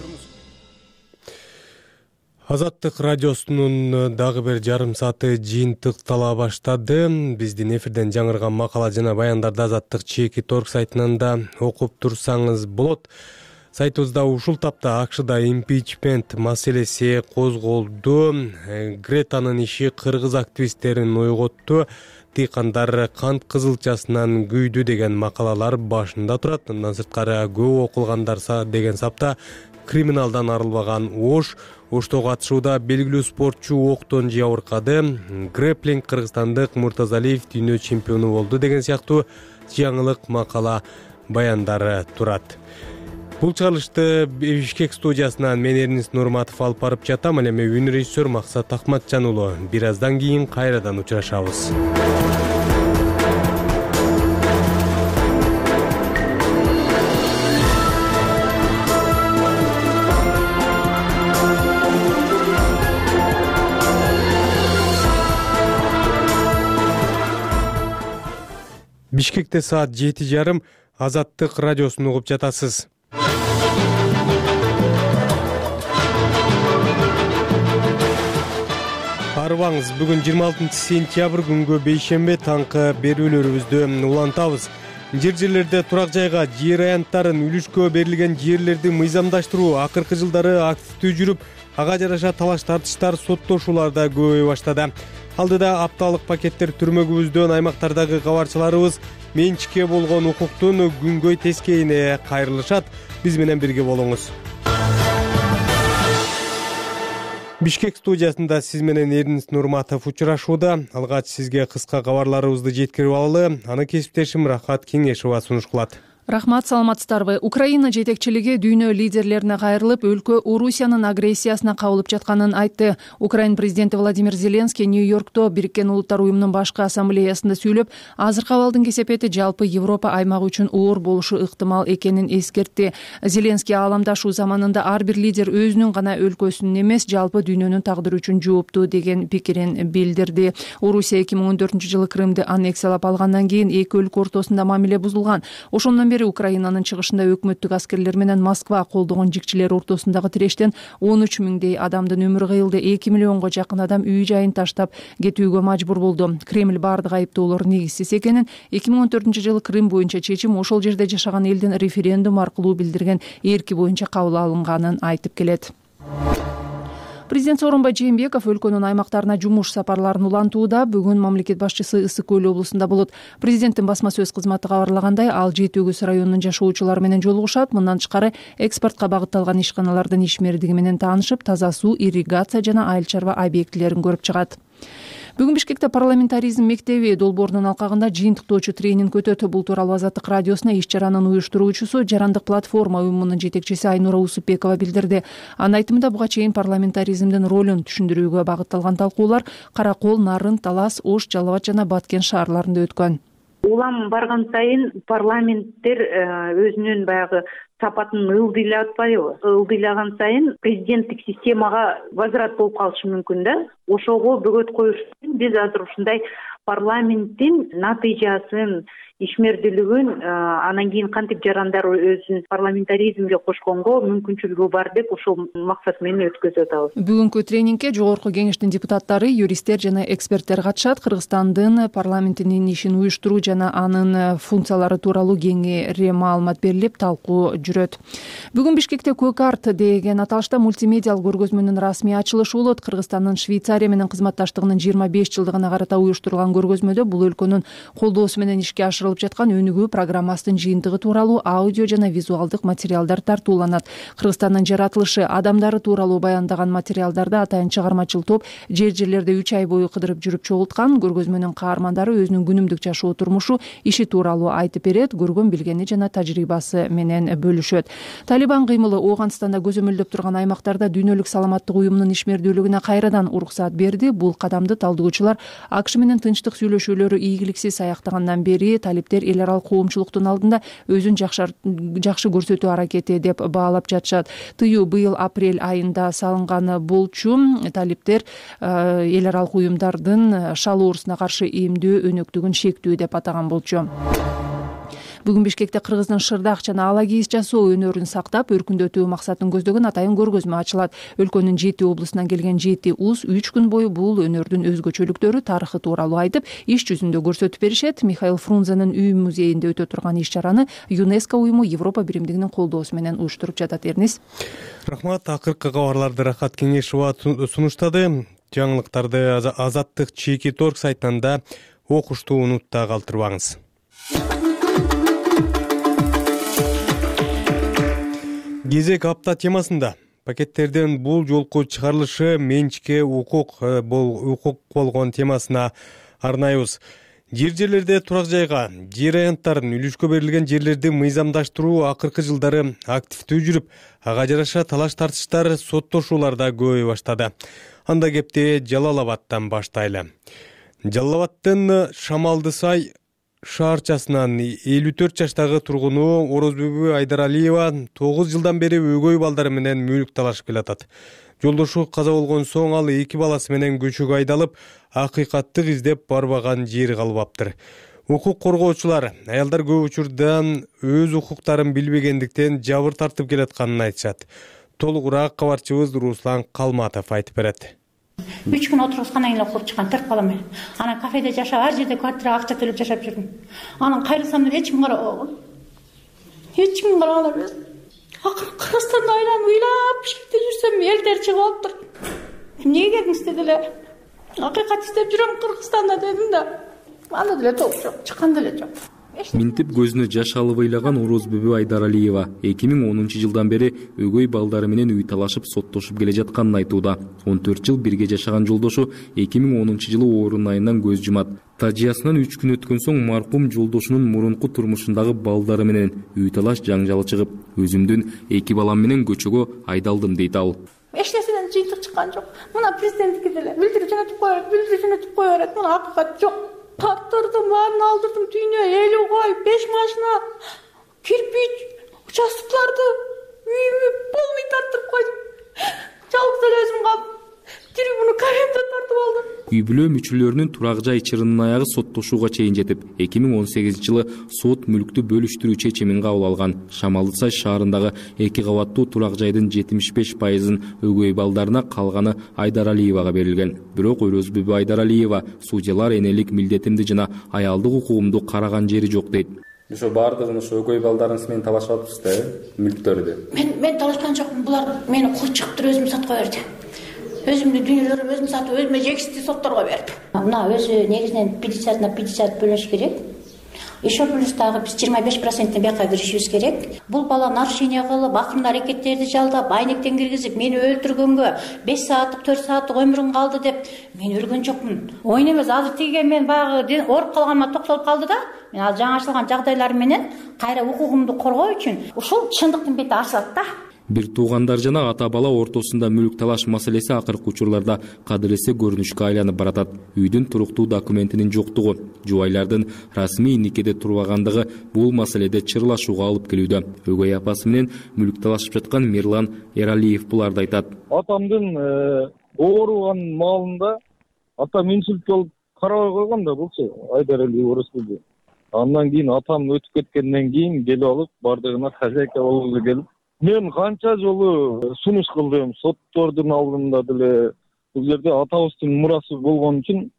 Азаттык радиосунун дагы бир жарым сааты жыйынтыктала баштады. Биздин эфирден жаңырган макала жана баяндарды Азаттык чеки торг сайтынан да окуп турсаңыз болот. Сайтыбызда ушул тапта АКШда импичмент маселеси козголду. Гретанын иши кыргыз активисттерин ойготту. Тыйкандар кант кызылчасынан күйдү деген макалалар башында турат. Мындан сырткары көп окулгандар деген сапта криминалдан арылбаган Ош Оштогу атышууда белгилүү спортчу октон жабыркады. Грэплинг кыргызстандык Муртазалиев дүйнө чемпиону болду деген сыяктуу жаңылык макала баяндары турат. Бул чыгарылышты Бишкек студиясынан мен Эрнис Нурматов алып барып жатам. Ал эми үн режиссер Максат Акматжан уулу. Бир аздан кийин кайрадан учурашабыз. Бишкекте саат жети жарым Азаттык радиосун угуп жатасыз. Арыбаңыз, бүгүн жыйырма алтынчы сентябрь күнгө бейшемби таңкы берүүлөрүбүздү улантабыз. Жер жерлерде турак жайга жер аянттарын үлүшкө берилген жерлерди мыйзамдаштыруу акыркы жылдары активдүү жүрүп, ага жараша талаш тартыштар, соттошуулар да көбөйө баштады. Алдыда апталык пакеттер түрмөгүбүздөн аймактардагы кабарчыларыбыз менчикке болгон укуктун күнгөй тескейине кайрылышат. Биз менен бирге болуңуз. Бишкек студиясында сиз менен Эрнис Нурматов учурашууда. Алгач сизге кыска кабарларыбызды жеткирип алалы. Аны кесиптешим Рахат Кеңешова сунуш кылат. Рахмат, саламатсыздарбы. Украина жетекчилиги дүйнө лидерлерине кайрылып, өлкө Орусиянын агрессиясына кабылып жатканын айтты. Украин президенти Владимир Зеленский Нью-Йоркто Бириккен Улуттар уюмунун башкы ассамблеясында сүйлөп, азыркы абалдын кесепети жалпы Европа аймагы үчүн оор болушу ыктымал экенин эскертти. Зеленский ааламдашуу заманында ар бир лидер өзүнүн гана өлкөсүнүн эмес, жалпы дүйнөнүн тагдыры үчүн жооптуу деген пикирин билдирди. Орусия эки миң он төртүнчү жылы Крымды аннексиялап алгандан кийин эки өлкө ортосунда мамиле бузулган. Ошондон бери Украинанын чыгышында өкмөттүк аскерлер менен Москва колдогон жикчилер ортосундагы тирештен он үч миңдей адамдын өмүрү кыйылды. эки миллионго жакын адам үй жайын таштап кетүүгө мажбур болду. Кремль бардык айыптоолор негизсиз экенин, эки миң он төртүнчү жылы Крым боюнча чечим ошол жерде жашаган элдин референдум аркылуу билдирген эрки боюнча кабыл алынганын айтып келет. Президент Сооронбай Жээнбеков өлкөнүн аймактарына жумуш сапарларын улантууда. Бүгүн мамлекет башчысы Ысык көл облусунда болот. Президенттин басма сөз кызматы кабарлагандай, ал жети өгүз районунун жашоочулары менен жолугушат. Мындан тышкары экспортко багытталган ишканалардын ишмердиги менен таанышып, таза суу, ирригация жана айыл чарба объектилерин көрүп чыгат. Бүгүн Бишкекте парламентаризм мектеби долбоорунун алкагында жыйынтыктоочу тренинг өтөт. Бул тууралуу Азаттык радиосуна иш чаранын уюштуруучусу, Жарандык платформа уюмунун жетекчиси Айнура Усупбекова билдирди. Анын айтымында, буга чейин парламентаризмдин ролун түшүндүрүүгө багытталган талкуулар Кара Кол, Нарын, Талас, Ош, Жалал Абад жана Баткен шаарларында өткөн. Улам барган сайын парламенттер өзүнүн баягы сапатын ылдыйлап атпайбы? Ылдыйлаган сайын президенттик системага возврат болуп калышы мүмкүн да. Ошого бөгөт коюш үчүн биз азыр ушундай парламенттин натыйжасын, ишмердүүлүгүн, анан кийин кантип жарандар өзүн парламентаризмге кошконго мүмкүнчүлүгү бар деп ошол максат менен өткөзүп атабыз. Бүгүнкү тренингке жогорку кеңештин депутаттары, юристтер жана эксперттер катышат. Кыргызстандын парламентинин ишин уюштуруу жана анын функциялары тууралуу кеңири маалымат берилип, талкуу жүрөт. Бүгүн Бишкекте Көк арт деген аталышта мультимедиалык көргөзмөнүн расмий ачылышы болот. Кыргызстандын Швейцария менен кызматташтыгынын жыйырма беш жылдыгына карата уюштурулган көргөзмөдө бул өлкөнүн колдоосу менен ишке ашырылып жаткан өнүгүү программасынын жыйынтыгы тууралуу аудио жана визуалдык материалдар тартууланат. Кыргызстандын жаратылышы, адамдары тууралуу баяндаган материалдарды атайын чыгармачыл топ жер жерлерде үч ай бою кыдырып жүрүп чогулткан. Көргөзмөнүн каармандары өзүнүн күнүмдүк жашоо турмушу, иши тууралуу айтып берет, көргөн билгени жана тажрыйбасы менен бөлүшөт. Талибан кыймылы Ооганстанда көзөмөлдөп турган аймактарда дүйнөлүк саламаттык уюмунун ишмердүүлүгүнө кайрадан уруксаат берди. Бул кадамды талдоочулар АКШ менен тынчтык сүйлөшүүлөрү ийгиликсиз аяктагандан бери талиптер эл аралык коомчулуктун алдында өзүн жакшы көрсөтүү аракети деп баалап жатышат. Тыюу быйыл апрель айында салынганы болчу. Талиптер эл аралык уюмдардын шал оорусуна каршы эмдөө өнөктүгүн шектүү деп атаган болчу. Бүгүн Бишкекте кыргыздын шырдак жана ала кийиз жасоо өнөрүн сактап, өркүндөтүү максатын көздөгөн атайын көргөзмө ачылат. Өлкөнүн жети облусунан келген жети уз үч күн бою бул өнөрдүн өзгөчөлүктөрү, тарыхы тууралуу айтып, иш жүзүндө көрсөтүп беришет. Михаил Фрунзенин үй музейинде өтө турган иш чараны ЮНЕСКО уюму Европа биримдигинин колдоосу менен уюштуруп жатат. Эрнис. Рахмат. Акыркы кабарларды Рахат Кеңешова сунуштады. Жаңылыктарды Азаттык чеки торг сайтында окушту унутта калтырбаңыз. Кезек апта темасында пакеттерден бул жолку чыгарылышы менчикке укук бул укук болгон темасына арнайбыз. Жер жерлерде турак жайга жер аянттарын үлүшкө берилген жерлерди мыйзамдаштыруу акыркы жылдары активдүү жүрүп, ага жараша талаш тартыштар, соттошуулар да көбөйө баштады. Анда кепти Жалал Абадтан баштайлы. Жалал Абадтын Шамалды сай шаарчасынан элүү төрт жаштагы тургуну Орозбүбү Айдаралиева тогуз жылдан бери өгөй балдары менен мүлк талашып келатат. Жолдошу каза болгон соң ал эки баласы менен көчөгө айдалып, акыйкаттык издеп барбаган жери калбаптыр. Укук коргоочулар аялдар көп учурдан өз укуктарын билбегендиктен жабыр тартып келатканын айтышат. Толугураак кабарчыбыз Руслан Калматов айтып берет. үч күн отургузгандан кийин куруп чыккан төрт балам менен. Анан кафеде жашап, ар жерде квартира акча төлөп жашап жүрдүм. Анан кайрылсам деп эч ким карабаган. Эч ким караган эмес. Акыры Кыргызстанда айланып ыйлап бишкекте жүрсөм, элдер чыгып алыптыр. Эмнеге келдиңиз дедилер. Акыйкат издеп жүрөм Кыргызстанда дедим да. Анда деле топ жок, чыккан деле жок. Минтип көзүнө жаш алып ыйлаган Орозбүбү Айдаралиева эки миң онунчу жылдан бери өгөй балдары менен үй талашып соттошуп келе жатканын айтууда. он төрт жыл бирге жашаган жолдошу эки миң онунчу жылы оорун айынан көз жумат. Тажыясынан үч күн өткөн соң маркум жолдошунун мурунку турмушундагы балдары менен үй талаш жаңжалы чыгып, өзүмдүн эки балам менен көчөгө айдалдым дейт ал. Эч нерседен жыйынтык чыккан жок. Мына президенттики деле билдирип жөнөтүп кое берет, билдирип жөнөтүп кое берет. Мына акыйкат жок. Каттырдым, баарын алдырдым, түйнө, элүү кой, беш машина, кирпич, участоктолорду, үйүмдү полный тарттырып койдум. Жалгыз эле өзүм калдым. Трибуну карентен тартып алдым. Үй бүлө мүчөлөрүнүн турак жай чырынын аягы соттошууга чейин жетип, эки миң он сегизинчи жылы сот мүлктү бөлүштүрүү чечимин кабыл алган. Шамалды сай шаарындагы эки кабаттуу турак жайдын жетимиш беш пайызын өгөй балдарына, калганы Айдаралиевага берилген. Бирок Орозбүбү Айдаралиева судьялар энелик милдетимди жана аялдык укугумду караган жери жок дейт. Ошо баардыгын ошо өгөй балдарыңыз менен талашып атпсыз да, мүлктөрдү? Мен мен талашкан жокмун. Булар мени кууп чыгыптыр, өзүм саткан берди. Өзүмдүн дүйнөлөрүмдү өзүм сатып, өзүмө жексиздүү сотторго бердим. Мына өзү негизинен пятьдесят на пятьдесят бөлүнүш керек. Еще плюс дагы биз жыйырма беш проценттен бияка киришибиз керек. Бул бала нарушение кылып, акырын аракеттерди жалдап, айнектен киргизип, мени өлтүргөнгө беш сааттык, төрт сааттык өмүрүң калды деп мен өлгөн жокмун. Ойун эмес, азыр тиге мен баягы ооруп калганыма токтолуп калды да. Мен ал жаңы ачылган жагдайлар менен кайра укугумду коргоо үчүн ушул чындыктын бети ачылат да. Бир туугандар жана ата бала ортосунда мүлк талаш маселеси акыркы учурларда кадыресе көрүнүшкө айланып баратат. Үйдүн туруктуу документинин жоктугу, жубайлардын расмий никеде турбагандыгы бул маселеде чырлашууга алып келүүдө. Өгөй апасы менен мүлк талашып жаткан Мирлан Эралиев буларды айтат. Атамдын ооруган маалында ата менчилик болуп карабай койгон да болчу Айдаралиев Орозбүбү. Андан кийин атам өтүп кеткенден кийин келип алып, бардыгына хозяйка болуп келип, мен канча жолу сунуш кылдым, соттордун алдында деле бул жерде атабыздын мурасы болгон үчүн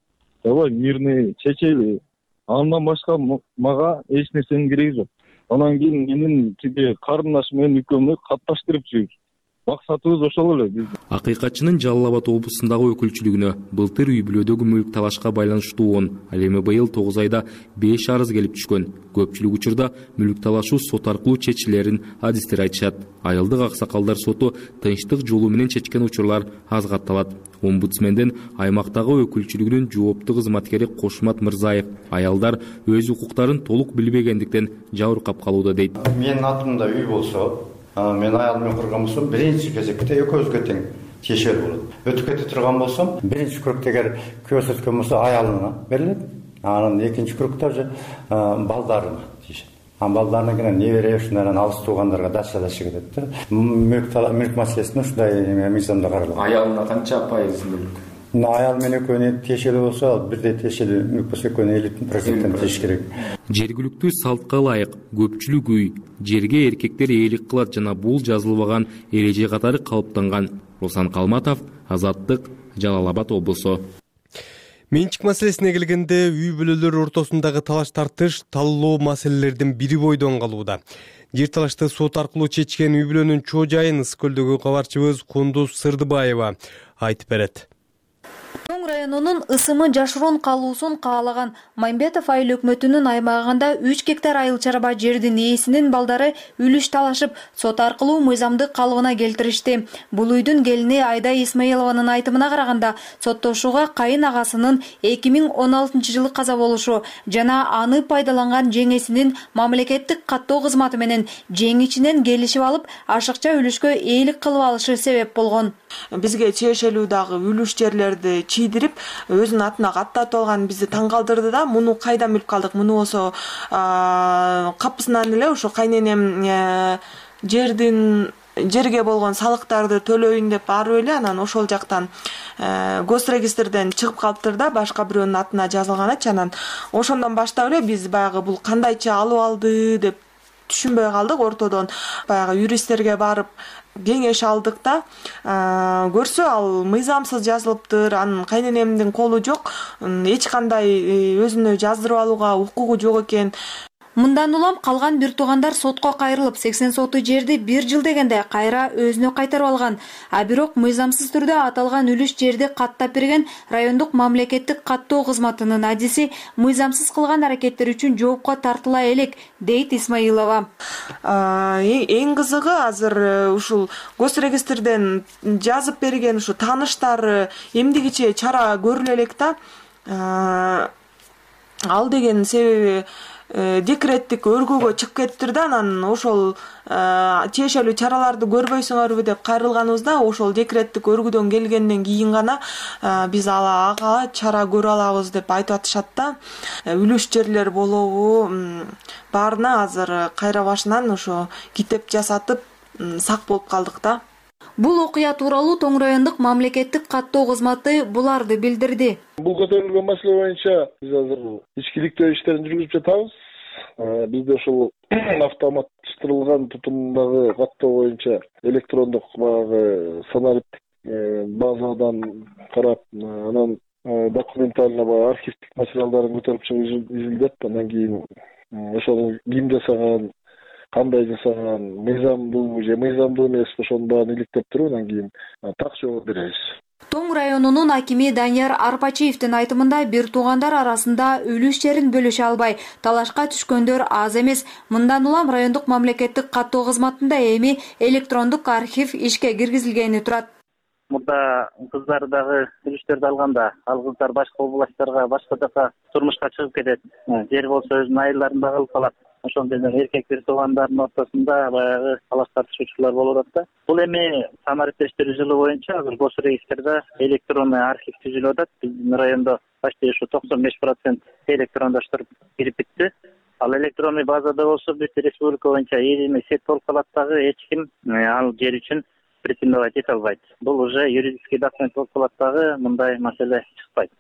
давай мирный чечели. Андан башка мага эч нерсенин кереги жок. Анан кийин менин тиги карындашым менен экөөбүз катташтырып жүрүбүз. Максатыбыз ошол эле биздин. Акыйкатчынын Жалал Абад облусундагы өкүлчүлүгүнө былтыр үй бүлөдөгү мүлк талашка байланыштуу он, ал эми быйыл тогуз айда беш арыз келип түшкөн. Көпчүлүк учурда мүлк талашуу сот аркылуу чечилерин адистер айтышат. Айылдык аксакалдар соту тынчтык жолу менен чечкен учурлар аз катталат. Омбудсмендин аймактагы өкүлчүлүгүнүн жооптуу кызматкери Кошмат Мырзаев аялдар өз укуктарын толук билбегендиктен жабыркап калууда дейт. Менин атымда үй болсо, мен аялым менен курган болсом, биринчи кезекте экөөбүзгө тең тиешелүү болот. Өтүп кете турган болсом, биринчи күрөктө эгер күйөөсү өткөн болсо аялына берилет. Анан экинчи күрөктө уже балдарына тиешет. Анан балдарына кийин небере ушундан алыс туугандарга дача-дача кетет да. Мүлк маселесин ушундай мыйзамда каралган. Аялына канча пайыз мүлк? Аял менен экөөнү тиешелүү болсо, бирдей тиешелүү мүлк болсо экөөнү элүү проценттен тиеш керек. Жергиликтүү салтка ылайык көпчүлүк үй жерге эркектер ээлик кылат жана бул жазылбаган эреже катары калыптанган. Руслан Калматов, Азаттык, Жалал Абад облусу. Менчик маселесине келгенде үй бүлөлөр ортосундагы талаш тартыш таллоо маселелердин бири бойдон калууда. Жер талашты сот аркылуу чечкен үй бүлөнүн чоо жайын Ысык көлдөгү кабарчыбыз Кундуз Сырдыбаева айтып берет. районунун ысымы жашыруун калуусун каалаган Мамбетов айыл өкмөтүнүн аймагында үч гектар айыл чарба жердин ээсинин балдары үлүш талашып, сот аркылуу мыйзамдык калыбына келтиришти. Бул үйдүн келини Айда Исмаилованын айтымына караганда, соттошууга кайын агасынын эки миң он алтынчы жылы каза болушу жана аны пайдаланган жеңесинин мамлекеттик каттоо кызматы менен жеңичинен келишип алып, ашыкча үлүшкө ээлик кылып алышы себеп болгон. Бизге тиешелүү дагы үлүш жерлерди чийдирип, өзүнүн атына каттатып алган бизди таң калтырды да, муну кайдан билип калдык? Муну болсо капысынан эле ошо кайненем жердин жерге болгон салыктарды төлөйүн деп барып эле, анан ошол жактан госрегистрден чыгып калыптыр да, башка бирөөнүн атына жазылганычы. Анан ошондон баштап эле биз баягы бул кандайча алып алды деп түшүнбөй калдык. Ортодон баягы юристтерге барып кеңеш алдык да, көрсө ал мыйзамсыз жазылыптыр, анын кайненемдин колу жок, эч кандай өзүнө жаздырып алууга укугу жок экен. Мындан улам калган бир туугандар сотко кайрылып, сексен соту жерди бир жыл дегенде кайра өзүнө кайтарып алган. А бирок мыйзамсыз түрдө аталган үлүш жерди каттап берген райондук мамлекеттик каттоо кызматынын адиси мыйзамсыз кылган аракеттер үчүн жоопко тартыла элек, дейт Исмаилова. Эң кызыгы азыр ушул госрегистрден жазып берген ушу тааныштары эмдигиче чара көрүлө элек да. Ал деген себеби декреттик өргөгө чыгып кетиптир да, анан ошол тиешелүү чараларды көрбөйсүңөрбү деп кайрылганыбызда, ошол декреттик өргүдөн келгенден кийин гана биз ага чара көрө алабыз деп айтып атышат да. Үлүш жерлер болобу, баарына азыр кайра башынан ошо китеп жасатып сак болуп калдык да. Бул окуя тууралуу Тоң райондук мамлекеттик каттоо кызматы буларды билдирди. Бул көтөрүлгөн маселе боюнча биз азыр ичкиликтөө иштерин жүргүзүп жатабыз. Бизде ошол автоматташтырылган тутумдагы каттоо боюнча электрондук баягы санариптик базадан карап, анан документально баягы архивдик материалдарын көтөрүп чыгып изилдеп, андан кийин ошону ким жасаган, кандай жасаган, мыйзамдуу же мыйзамдуу эмес, ошонун баарын иликтеп туруп, андан кийин так жооп беребиз. Тоң районунун акими Данияр Арпачиевдин айтымында, бир туугандар арасында үлүш жерин бөлүшө албай, талашка түшкөндөр аз эмес. Мындан улам райондук мамлекеттик каттоо кызматында эми электрондук архив ишке киргизилгени турат. Мурда кыздар дагы үлүштөрдү алганда, ал кыздар башка областтарга, башка жака турмушка чыгып кетет. Жер болсо өзүнүн айылдарында калып калат. Ошондой эркек бир туугандардын ортосунда баягы талаш тартышуучулар болуп атат да. Бул эми санариптештирүү жылы боюнча азыр госрегистрде электронный архив түзүлүп атат. Биздин райондо почти ушу токсон беш процент электрондоштуруп кирип битти. Ал электронный базада болсо бүт республика боюнча эми сет болуп калат дагы, эч ким ал жер үчүн претендовать эте албайт. Бул уже юридический документ болуп калат дагы, мындай маселе чыкпайт.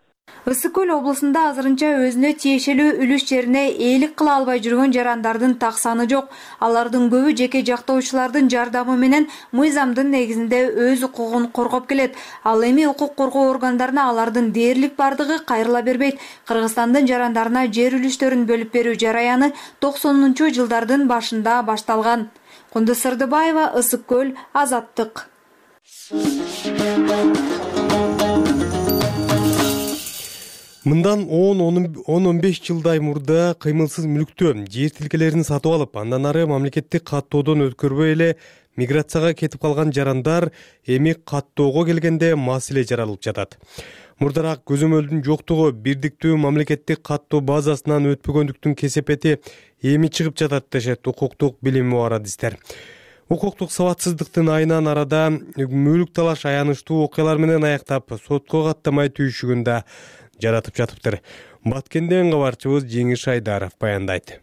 Ысык көл облусунда азырынча өзүнө тиешелүү үлүш жерине ээлик кыла албай жүргөн жарандардын так саны жок. Алардын көбү жеке жактоочулардын жардамы менен мыйзамдын негизинде өз укугун коргоп келет. Ал эми укук коргоо органдарына алардын дээрлик бардыгы кайрыла бербейт. Кыргызстандын жарандарына жер үлүштөрүн бөлүп берүү жараяны токсонунчу жылдардын башында башталган. Кундуз Сырдыбаева, Ысык көл, Азаттык. Мындан он он беш жылдай мурда кыймылсыз мүлктө жер тилкелерин сатып алып, андан ары мамлекеттик каттоодон өткөрбөй эле миграцияга кетип калган жарандар эми каттоого келгенде маселе жаралып жатат. Мурдараак көзөмөлдүн жоктугу, бирдиктүү мамлекеттик каттоо базасынан өтпөгөндүктүн кесепети эми чыгып жатат дешет укуктук билими бар адистер. Укуктук сабатсыздыктын айынан арада мүлк талаш аянычтуу окуялар менен аяктап, сотко каттамай түйүшүгүн да жаратып жатыптыр. Баткенден кабарчыбыз Жеңиш Айдаров баяндайт.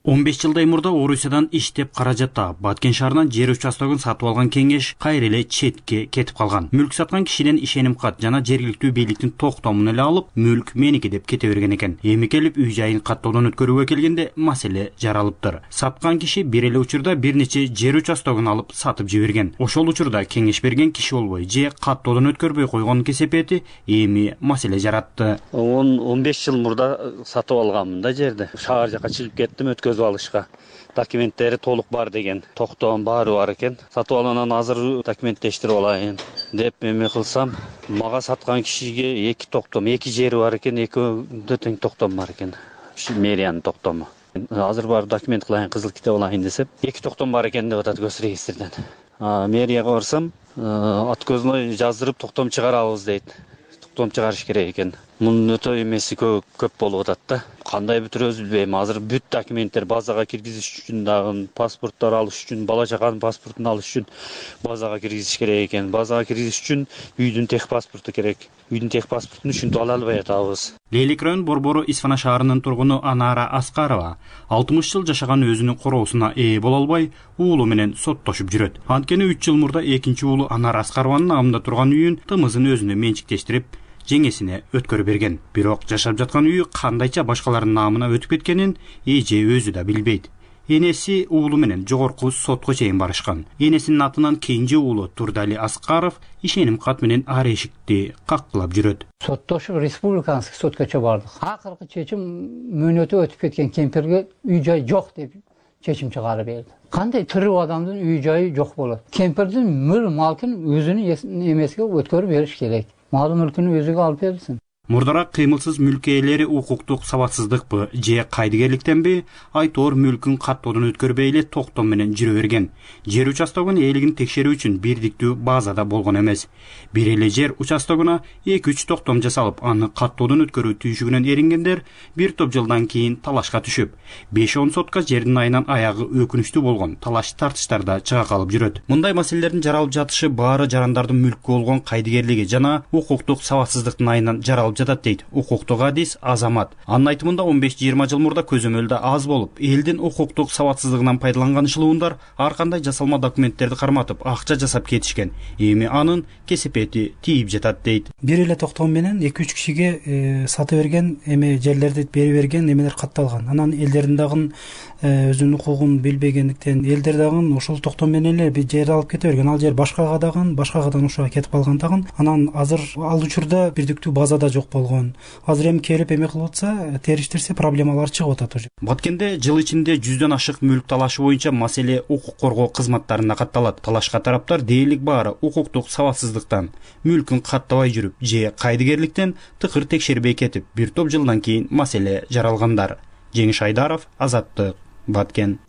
он беш жылдай мурда Орусиядан иштеп каражатта Баткен шаарынан жер участогун сатып алган кеңеш кайра эле четке кетип калган. Мүлк саткан кишиден ишеним кат жана жергиликтүү бийликтин токтомун эле алып, мүлк меники деп кете берген экен. Эми келип үй жайын каттоодон өткөрүүгө келгенде маселе жаралыптыр. Саткан киши бир эле учурда бир нече жер участогун алып сатып жиберген. Ошол учурда кеңеш берген киши болбой же каттоодон өткөрбөй койгон кесепети эми маселе жаратты. он он беш жыл мурда сатып алганмын да жерди. Шаар жака чыгып кеттим, өткөзүп өткөзүп алышка документтери толук бар деген токтом баары бар экен. Сатып алгандан азыр документтештирип алайын деп эме кылсам, мага саткан кишиге эки токтом, эки жери бар экен, экөөндө тең токтом бар экен. Мэриянын токтому. Азыр барып документ кылайын, кызыл китеп алайын десем, эки токтом бар экен деп атат госрегистрден. Мэрияга барсам, откозной жаздырып токтом чыгарабыз дейт. Токтом чыгарыш керек экен. Мунун өтө эмеси көп болуп атат да. Кандай бүтүрөбүз билбейм. Азыр бүт документтер базага киргизиш үчүн дагы, паспорттор алыш үчүн, бала чаканын паспортун алыш үчүн базага киргизиш керек экен. Базага киргизиш үчүн үйдүн тех паспорту керек. Үйдүн тех паспортун ушинтип ала албай атабыз. Лейлик район Борбору Исфана шаарынын тургуну Анара Аскарова алтымыш жыл жашаган өзүнүн короосуна ээ боло албай, уулу менен соттошуп жүрөт. Анткени үч жыл мурда экинчи уулу Анара Аскарованын намында турган үйүн тымызын өзүнө менчиктештирип, жеңесине өткөрүп берген. Бирок жашап жаткан үйү кандайча башкалардын намына өтүп кеткенин эже өзү да билбейт. Энеси уулу менен жогорку сотко чейин барышкан. Энесинин атынан кенже уулу Турдали Аскаров ишеним кат менен ар эшикти каккылап жүрөт. Соттошуп республиканский соткочо бардык. Акыркы чечим мөөнөтү өтүп кеткен кемпирге үй жай жок деп чечим чыгарып берди. Кандай тирүү адамдын үй жайы жок болот? Кемпирдин мөр малкын өзүнүн эмесиге өткөрүп бериш керек. Мал мүлкүн өзүгө алып берсин. Мурдараак кыймылсыз мүлк ээлери укуктук сабатсыздыкпы же кайдыгерликтенби айтоор мүлкүн каттоодон өткөрбөй эле токтом менен жүрө берген. Жер участогунун ээлигин текшерүү үчүн бирдиктүү базада болгон эмес. Бир эле жер участогуна эки үч токтом жасалып, аны каттоодон өткөрүү түйшүгүнөн эрингендер бир топ жылдан кийин талашка түшүп, беш он сотка жердин айынан аягы өкүнүчтүү болгон талаш тартыштарда чыга калып жүрөт. Мындай маселелердин жаралып жатышы баары жарандардын мүлкү болгон кайдыгерлиги жана укуктук сабатсыздыктын айынан жаралып жатат дейт укуктук адис Азамат. Анын айтымында он беш жыйырма жыл мурда көзөмөлдө аз болуп, элдин укуктук сабатсыздыгынан пайдаланган ышылуундар ар кандай жасалма документтерди карматып, акча жасап кетишкен. Эми анын кесепети тийип жатат дейт. Бир эле токтом менен эки үч кишиге сатып берген, эме жерлерди берип берген эмелер катталган. Анан элдердин дагы өзүнүн укугун билбегендиктен элдер дагы ошол токтом менен эле бир жер алып кете берген. Ал жер башкага дагы, башкагадан ошого кетип калган дагы. Анан азыр ал учурда бирдиктүү базада жок болгон. Азыр эми келип эме кылып атса, териштирсе проблемалар чыгып атат уже. Баткенде жыл ичинде жүздөн ашык мүлк талашы боюнча маселе укук коргоо кызматтарына катталат. Талашка тараптар дээрлик баары укуктук сабатсыздыктан, мүлкүн каттабай жүрүп же кайдыгерликтен тыкыр текшербей кетип, бир топ жылдан кийин маселе жаралгандар. Жеңиш Айдаров, Азаттык, Баткен.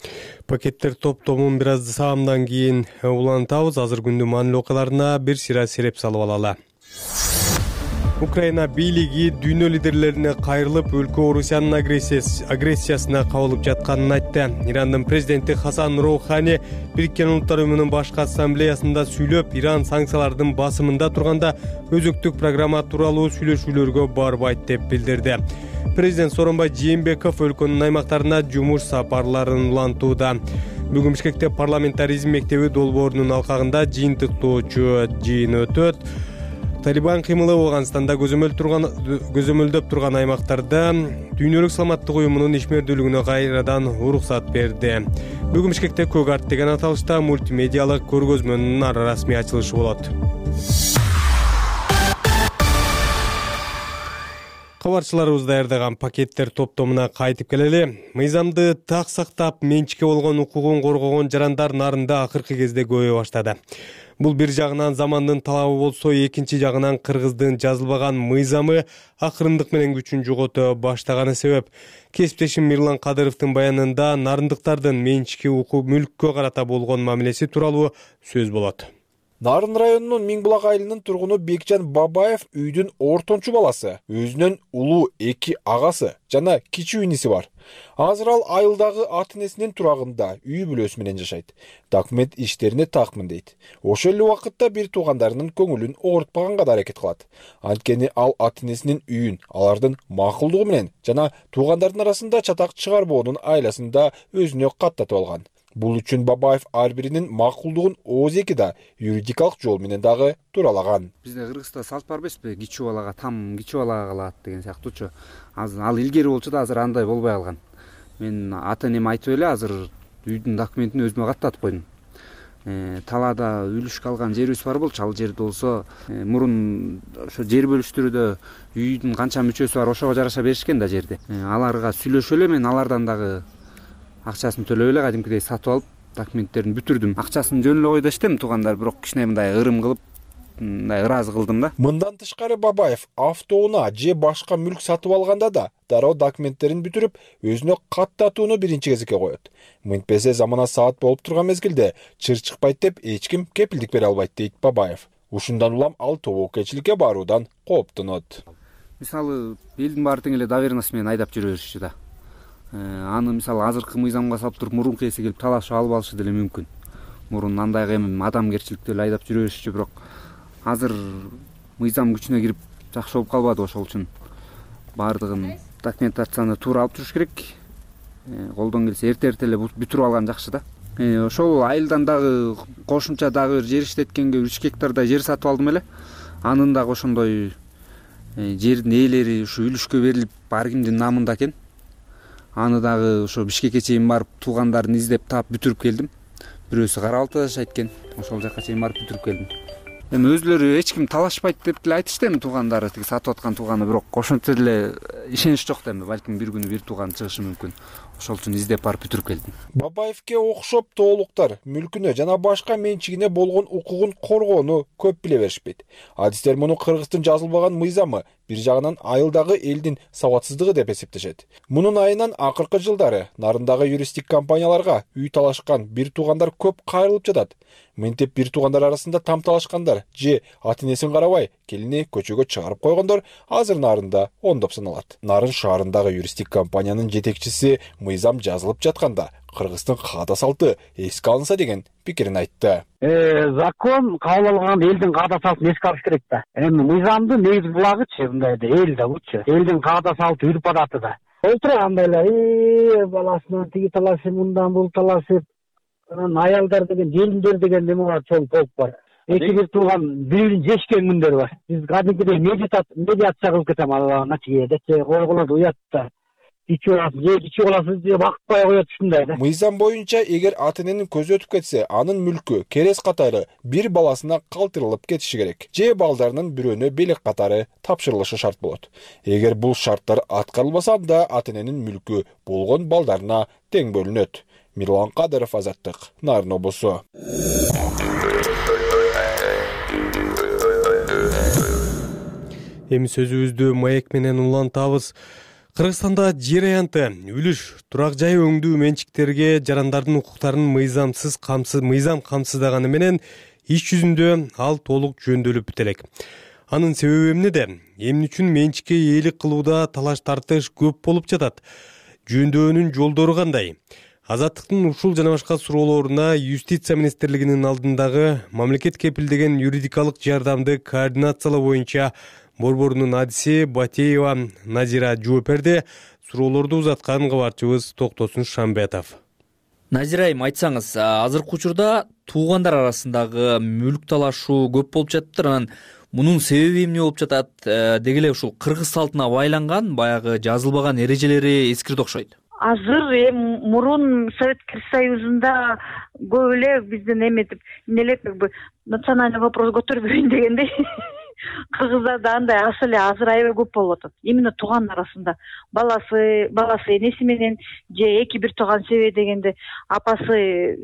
Пакеттер топтомун бир аз саамдан кийин улантабыз. Азыр күндүн маанилүү окуяларына бир сыйра сереп салып алалы. Украина бийлиги дүйнө лидерлерине кайрылып, өлкө Орусиянын агрессиясына кабылып жатканын айтты. Ирандын президенти Хасан Роухани Бириккен Улуттар Уюмунун башкы ассамблеясында сүйлөп, Иран санкциялардын басымында турганда өзөктүк программа тууралуу сүйлөшүүлөргө барбайт деп билдирди. Президент Сооронбай Жээнбеков өлкөнүн аймактарына жумуш сапарларын улантууда. Бүгүн Бишкекте парламентаризм мектеби долбоорунун алкагында жыйынтыктоочу жыйын өтөт. Талибан кыймылы Ооганстанда көзөмөлдөп турган аймактарда Дүйнөлүк саламаттык уюмунун ишмердүүлүгүнө кайрадан уруксат берди. Бүгүн Бишкекте Көк арт деген аталышта мультимедиалык көргөзмөнүн расмий ачылышы болот. Кабарчыларыбыз даярдаган пакеттер топтомуна кайтып келели. Мыйзамды так сактап, менчикке болгон укугун коргогон жарандар нарында акыркы кезде көбөйө баштады. Бул бир жагынан замандын талабы болсо, экинчи жагынан кыргыздын жазылбаган мыйзамы акырындык менен күчүн жогото баштаганы себеп. Кесиптешим Мирлан Кадыровдун баянында нарындыктардын менчикке укук мүлккө карата болгон мамилеси тууралуу сөз болот. Нарын районунун Миңбулак айылынын тургуну Бекжан Бабаев үйдүн ортончу баласы, өзүнүн улуу эки агасы жана кичүү иниси бар. Азыр ал айылдагы ата-энесинин турагында үй бүлөсү менен жашайт. Документ иштерине такмын дейт. Ошол эле убакытта бир туугандарынын көңүлүн оорутпаганга да аракет кылат. Анткени ал ата-энесинин үйүн алардын макулдугу менен жана туугандардын арасында чатак чыгарбоонун айласында өзүнө каттатып алган. Бул үчүн Бабаев ар биринин макулдугун ооз эки да юридикалык жол менен дагы туралаган. Бизде Кыргызда салт бар эмеспи? Кичүү балага там, кичүү балага калат деген сыяктуучу. Азыр ал илгери болчу да, азыр андай болбой калган. Мен ата-энем айтып эле азыр үйдүн документин өзүмө каттатып койдум. Э, талаада үлүшкө алган жерибиз бар болчу, ал жерде болсо мурун ошо жер бөлүштүрүүдө үйдүн канча мүчөсү бар ошого жараша беришкен да жерди. Аларга сүйлөшүп эле мен алардан дагы акчасын төлөп эле кадимкидей сатып алып документтерин бүтүрдүм. Акчасын жөн эле койдо иштем, туугандар бирок кичине мындай ырым кылып, мындай ыраазы кылдым да. Мындан тышкары Бабаев автоунаа же башка мүлк сатып алганда да дароо документтерин бүтүрүп, өзүнө каттатууну биринчи кезекке коет. Мынтпесе замана саат болуп турган мезгилде чыр чыкпайт деп эч ким кепилдик бере албайт дейт Бабаев. Ушундан улам ал тобокелчиликке баруудан кооптонот. Мисалы, элдин баары тең эле доверенность менен айдап жүрө беришчү да. Аны мисалы азыркы мыйзамга салып туруп мурунку ээси келип талашып алып алышы деле мүмкүн. Мурун андай эми адамгерчиликтүү эле айдап жүрө беришчү, бирок азыр мыйзам күчүнө кирип жакшы болуп калбады, ошол үчүн баардыгын документацияны туура алып туруш керек. Колдон келсе эрте-эрте эле бүтүрүп алган жакшы да. Ошол айылдан дагы кошумча дагы бир жер иштеткенге үч гектардай жер сатып алдым эле. Анын дагы ошондой жердин ээлери ушу үлүшкө берилип, ар кимдин намында экен. Аны дагы ошо Бишкекке чейин барып туугандарын издеп таап бүтүрүп келдим. Бирөөсү Кара Алтыда жашайт экен. Ошол жака чейин барып бүтүрүп келдим. Эми өзүлөрү эч ким талашпайт деп деле айтышты, эми туугандары тиги сатып аткан тууганы, бирок ошентсе деле ишенич жок да, эми балким бир күнү бир тууган чыгышы мүмкүн. Ошол үчүн издеп барып бүтүрүп келдим. Бабаевке окшоп тоолуктар мүлкүнө жана башка менчигине болгон укугун коргоону көп биле беришпейт. Адистер муну Кыргыздын жазылбаган мыйзамы, бир жагынан айылдагы элдин сабатсыздыгы деп эсептешет. Мунун айынан акыркы жылдары нарындагы юристтик компанияларга үй талашкан бир туугандар көп кайрылып жатат. Мынтип бир туугандар арасында там талашкандар же ата-энесин карабай келини көчөгө чыгарып койгондор азыр нарында ондоп саналат. Нарын шаарындагы юристтик компаниянын жетекчиси мыйзам жазылып жатканда Кыргыздын каада салты эске алынса деген пикирин айтты. Закон кабыл алган элдин каада салтын эске алыш керек да. Эми мыйзамдын негизи булагычы мындайда эл да бучу. Элдин каада салты, үрп адаты да. Отурганда эле баласынан тиги талашып, мындан бул талашып, анан аялдар деген, желиндер деген неме бар, чоң полк бар. Эки бир тууган бири-бирин жешкен күндөр бар. Биз кадимкидей медиация кылып кетем начиеде, койгулар уят да. Ичи баласы, же ичи баласы же бакытпай коет ушундай да. Мыйзам боюнча эгер ата-эненин көзү өтүп кетсе, анын мүлкү керес катары бир баласына калтырылып кетиши керек. Же балдарынын бирөөнө белек катары тапшырылышы шарт болот. Эгер бул шарттар аткарылбаса, анда ата-эненин мүлкү болгон балдарына тең бөлүнөт. Мирлан Кадыров, Азаттык, Нарын облусу. Эми сөзүбүздү маек менен улантабыз. Кыргызстанда жер аянты, үлүш, турак жай өңдүү менчиктерге жарандардын укуктарын мыйзамсыз камсыз мыйзам камсыздаганы менен иш жүзүндө ал толук жөндөөлүп бүт элек. Анын себеби эмнеде? Эмне үчүн менчикке ээлик кылууда талаш тартыш көп болуп жатат? Жөндөөнүн жолдору кандай? Азаттыктын ушул жана башка суроолоруна Юстиция министрлигинин алдындагы мамлекет кепилдеген юридикалык жардамды координациялоо боюнча борборунун адиси Батеева Назира жооп берди. Суроолорду узаткан кабарчыбыз Токтосун Шамбетов. Назира айым, айтсаңыз, азыркы учурда туугандар арасындагы мүлк талашуу көп болуп жатыптыр. Анан мунун себеби эмне болуп жатат? Деги эле ушул кыргыз салтына байланган баягы жазылбаган эрежелери эскирди окшойт. Азыр эми мурун Советтик Союзунда көп эле биздин эметип эмнелеп национальный вопрос көтөрбөйүн дегендей. Кыргыздарда андай ас эле азыр аябай көп болуп атат. Именно тууган арасында баласы, баласы энеси менен же эки бир тууган себеби дегенде апасы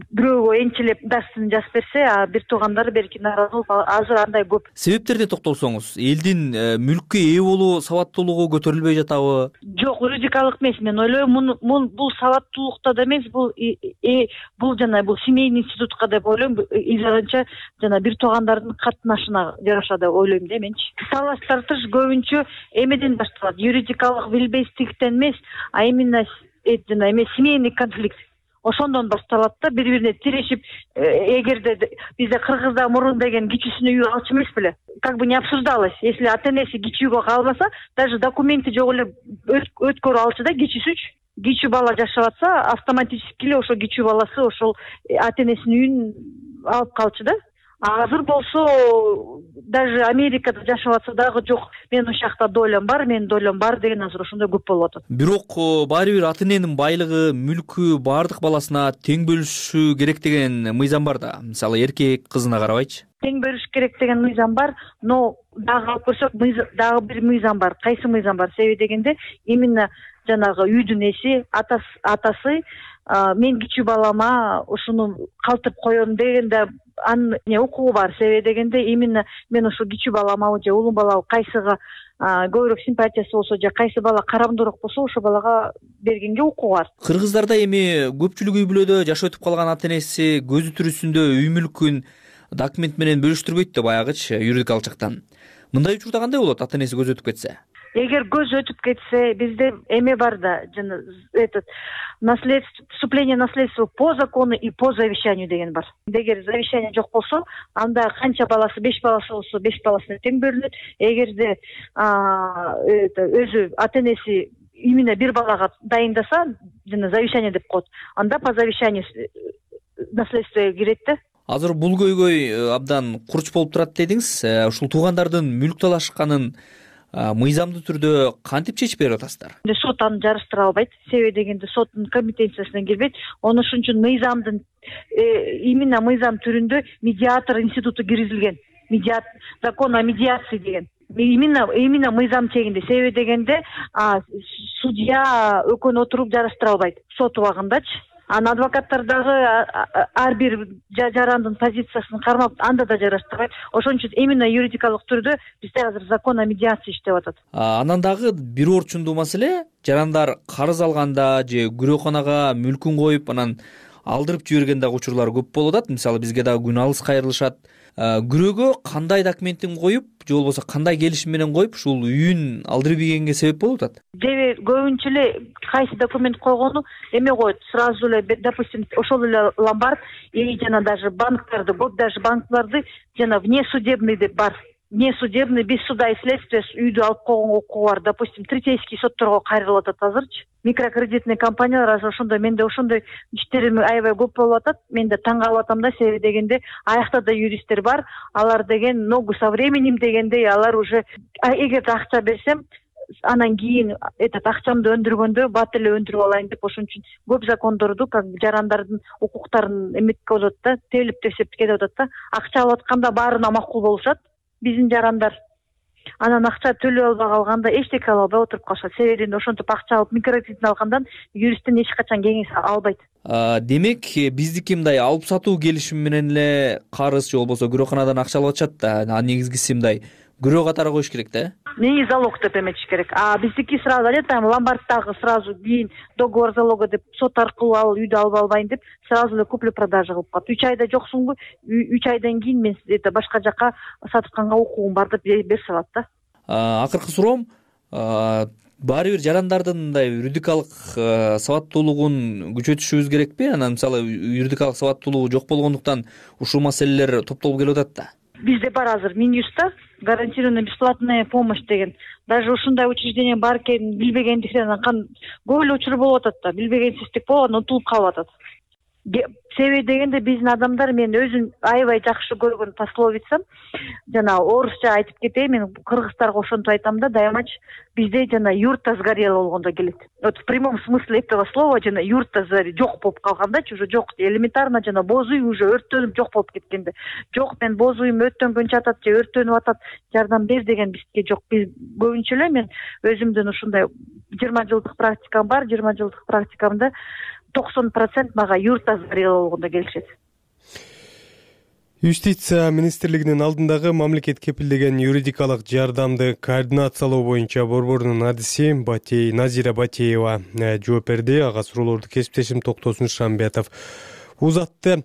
бирөөгө энчилеп дасын жазып берсе, а бир туугандар берки нааразы болуп азыр андай көп. Себептерине токтолсоңуз, элдин мүлккө ээ болуу сабаттуулугу көтөрүлбөй жатабы? Жок, юридикалык эмес. Мен ойлойм, мун бул сабаттуулукта да эмес, бул бул жана бул семейный институтка деп ойлойм. Илгарынча жана бир туугандардын катнашына жараша деп ойлойм да менчи. Талаш тартыш көбүнчө эмеден башталат. Юридикалык билбестиктен эмес, а именно жана эме семейный конфликт. Ошондон башталат да, бири-бирине тирешип, эгерде бизде Кыргызда мурун деген кичүүсүнө үй алчу эмес беле. Как бы не обсуждалось. Если ата-энеси кичүүгө калбаса, даже документи жок эле өткөрүп алчу да кичүүсүчү. Кичүү бала жашап атса, автоматически эле ошо кичүү баласы ошол ата-энесинин үйүн алып калчу да. Азыр болсо даже Америкада жашап атса дагы жок, мен ошол жакта долям бар, менин долям бар деген азыр ошондой көп болуп атат. Бирок баары бир ата-эненин байлыгы, мүлкү баардык баласына тең бөлүшү керек деген мыйзам бар да. Мисалы эркек кызына карабайчы. Тең бөлүш керек деген мыйзам бар, но дагы алып көрсөк, дагы бир мыйзам бар. Кайсы мыйзам бар? Себеби дегенде именно жанагы үйдүн эси атасы мен кичүү балама ушуну калтырып коем дегенде анын укугу бар. Себеби дегенде именно мен ушу кичүү баламабы же улуу балабы кайсыга көбүрөөк симпатиясы болсо же кайсы бала карамдуураак болсо ошол балага бергенге укугу бар. Кыргыздарда эми көпчүлүк үй бүлөдө жашап өтүп калган ата энеси көзү тирүүсүндө үй мүлкүн документ менен бөлүштүрбөйт да баягычы юридикалык жактан. Мындай учурда кандай болот ата энеси көзү өтүп кетсе? Эгер көз өтүп кетсе, бизде эме бар да, жана этот наследство, вступление наследства по закону и по завещанию деген бар. Эгер завещание жок болсо, анда канча баласы, беш баласы болсо, беш баласына тең бөлүнөт. Эгерде это өзү ата энеси именно бир балага дайындаса, жана завещание деп коет, анда по завещанию наследство кирет да. Азыр бул көйгөй абдан курч болуп турат дедиңиз. Ушул туугандардын мүлк талашканын мыйзамдуу түрдө кантип чечип берип атасыздар? Сот аны жарыштыра албайт. Себеби дегенде соттун компетенциясына кирбейт. Ону ошон үчүн мыйзамдын именно мыйзам түрүндө медиатор институту киргизилген. Медиат закон о медиации деген. Именно именно мыйзам чегинде. Себеби дегенде судья экөөнү отуруп жарыштыра албайт. Сот убагындачы. Анан адвокаттар дагы ар бир жарандын позициясын кармап анда да жараштырбайт. Ошон үчүн именно юридикалык түрдө бизде азыр закон о медиации иштеп атат. Анан дагы бир орчундуу маселе, жарандар карыз алганда же күрөканага мүлкүн коюп анан алдырып жиберген дагы учурлар көп болуп атат. Мисалы бизге дагы күн алыс кайрылышат. Күрөөгө кандай документин коюп же болбосо кандай келишим менен коюп ушул үйүн алдырып ийгенге себеп болуп атат? Дебе көбүнчө эле кайсы документ койгону эме коет. Сразу эле допустим ошол эле ломбард или жана даже банктарды, көп даже банкларды жана внесудебный деп бар. Внесудебный без суда и следствия үйдү алып койгонго укугу бар. Допустим, третейский сотторго кайрылып атат азырчы. Микрокредитный компаниялар азыр ошондой, менде ошондой иштерим аябай көп болуп атат. Мен да таң калып атам да, себеби дегенде аякта да юристтер бар. Алар деген ногу со временем дегендей, алар уже эгерде акча берсем, анан кийин этот акчамды өндүргөндө бат эле өндүрүп алайын деп ошон үчүн көп закондорду как жарандардын укуктарын эметип атат да, тебилип тепсеп кетип атат да. Акча алып атканда баарына макул болушат биздин жарандар. Анан акча төлөй албай калганда эчтеке ала албай отуруп калышат. Себеби ошентип акча алып микрокредит алгандан юристтен эч качан кеңеш албайт. Демек биздики мындай алып сатуу келишими менен эле карыз же болбосо күрөканадан акча алып атышат да. А негизгиси мындай күрөө катары коюш керек да? Не залог деп эметиш керек. А биздики сразу эле там ломбардтагы сразу кийин договор залога деп сот аркылуу ал үйдү алып албайын деп сразу эле купля продажа кылып калат. үч айда жоксуңбу? үч айдан кийин мен это башка жака сатканга укугум бар деп берип салат да. Акыркы суроом, баары бир жарандардын мындай юридикалык сабаттуулугун күчөтүшүбүз керекпи? Анан мисалы юридикалык сабаттуулугу жок болгондуктан ушул маселелер топтолуп келип атат да. Бизде бар азыр Минюста гарантированная бесплатная помощь деген. Даже ушундай учреждение бар экенин билбегендиктен көп эле учур болуп атат да. Билбегенсиздик болуп анан утулуп калып атат. Себеби дегенде биздин адамдар, мен өзүм аябай жакшы көргөн пословица, жана орусча айтып кетейин, мен кыргыздарга ошентип айтам да, дайымачы бизде жана юрта сгорела болгондо келет. Вот в прямом смысле этого слова жана юрта жок болуп калгандачы, уже жок, элементарно жана боз үй уже өрттөнүп жок болуп кеткенде. Жок, мен боз үйүм өрттөнгөнчө атат же өрттөнүп атат, жардам бер деген бизге жок. Биз көбүнчө эле мен өзүмдүн ушундай жыйырма жылдык практикам бар, жыйырма жылдык практикамда токсон процент мага юрта сгорела болгондо келишет. Юстиция министрлигинин алдындагы мамлекет кепилдеген юридикалык жардамды координациялоо боюнча борборунун адиси Батей Назира Батеева жооп берди. Ага суроолорду кесиптешим Токтосун Шамбетов узатты.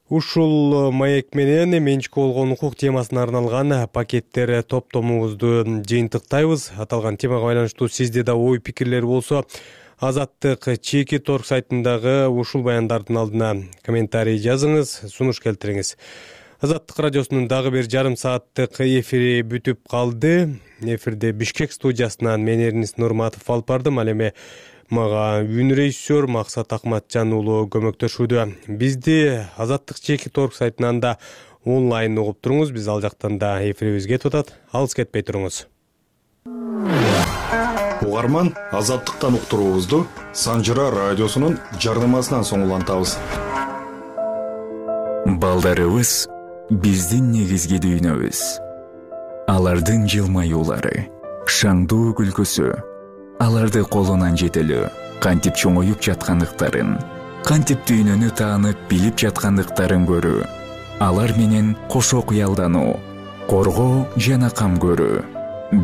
Ушул маек менен менчик болгон укук темасына арналган пакеттер топтомубузду жыйынтыктайбыз. Аталган темага байланыштуу сизде да ой пикирлер болсо, Азаттык чеки торг сайтындагы ушул баяндардын алдына комментарий жазыңыз, сунуш келтириңиз. Азаттык радиосунун дагы бир жарым сааттык эфири бүтүп калды. Эфирде Бишкек студиясынан мен Эрнис Нурматов алып бардым. Ал эми мага үн режиссер Максат Акматжан уулу көмөктөшүүдө. Бизди Азаттык чеки торг сайтынан да онлайн угуп туруңуз. Биз ал жактан да эфирибиз кетип атат. Алыс кетпей туруңуз. Угарман, Азаттыктан уктуруубузду Санжыра радиосунун жарнамасынан соң улантабыз. Балдарыбыз биздин негизги дүйнөбүз. Алардын жылмаюулары, шаңдуу күлкүсү, аларды колунан жетелөө, кантип чоңоюп жаткандыктарын, кантип дүйнөнү таанып билип жаткандыктарын көрүү, алар менен кошо кыялдануу, коргоо жана кам көрүү.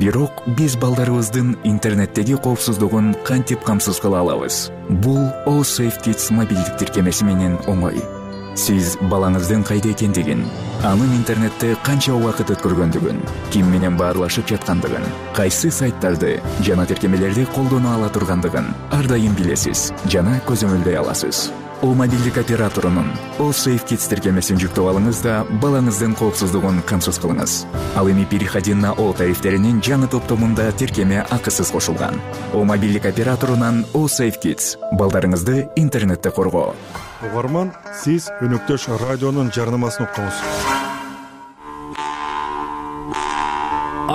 Бирок биз балдарыбыздын интернеттеги коопсуздугун кантип камсыз кыла алабыз? Бул All Safe Kids мобилдик тиркемеси менен оңой. Сиз балаңыздын кайда экендигин, анын интернетте канча убакыт өткөргөндүгүн, ким менен баарлашып жаткандыгын, кайсы сайттарды жана тиркемелерди колдоно ала тургандыгын ар дайым билесиз жана көзөмөлдөй аласыз. О мобилдик операторунун All Safe Kids тиркемесин жүктөп алыңыз да балаңыздын коопсуздугун камсыз кылыңыз. Ал эми переходи на О тарифтеринин жаңы топтомунда тиркеме акысыз кошулган. О мобилдик операторунан All Safe Kids балдарыңызды интернетте коргоо. Угарман, сиз өнөктөш радионун жарнамасын уктуңуз.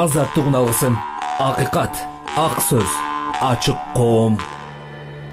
Азаттык уналгысын, акыйкат, ак сөз, ачык коом.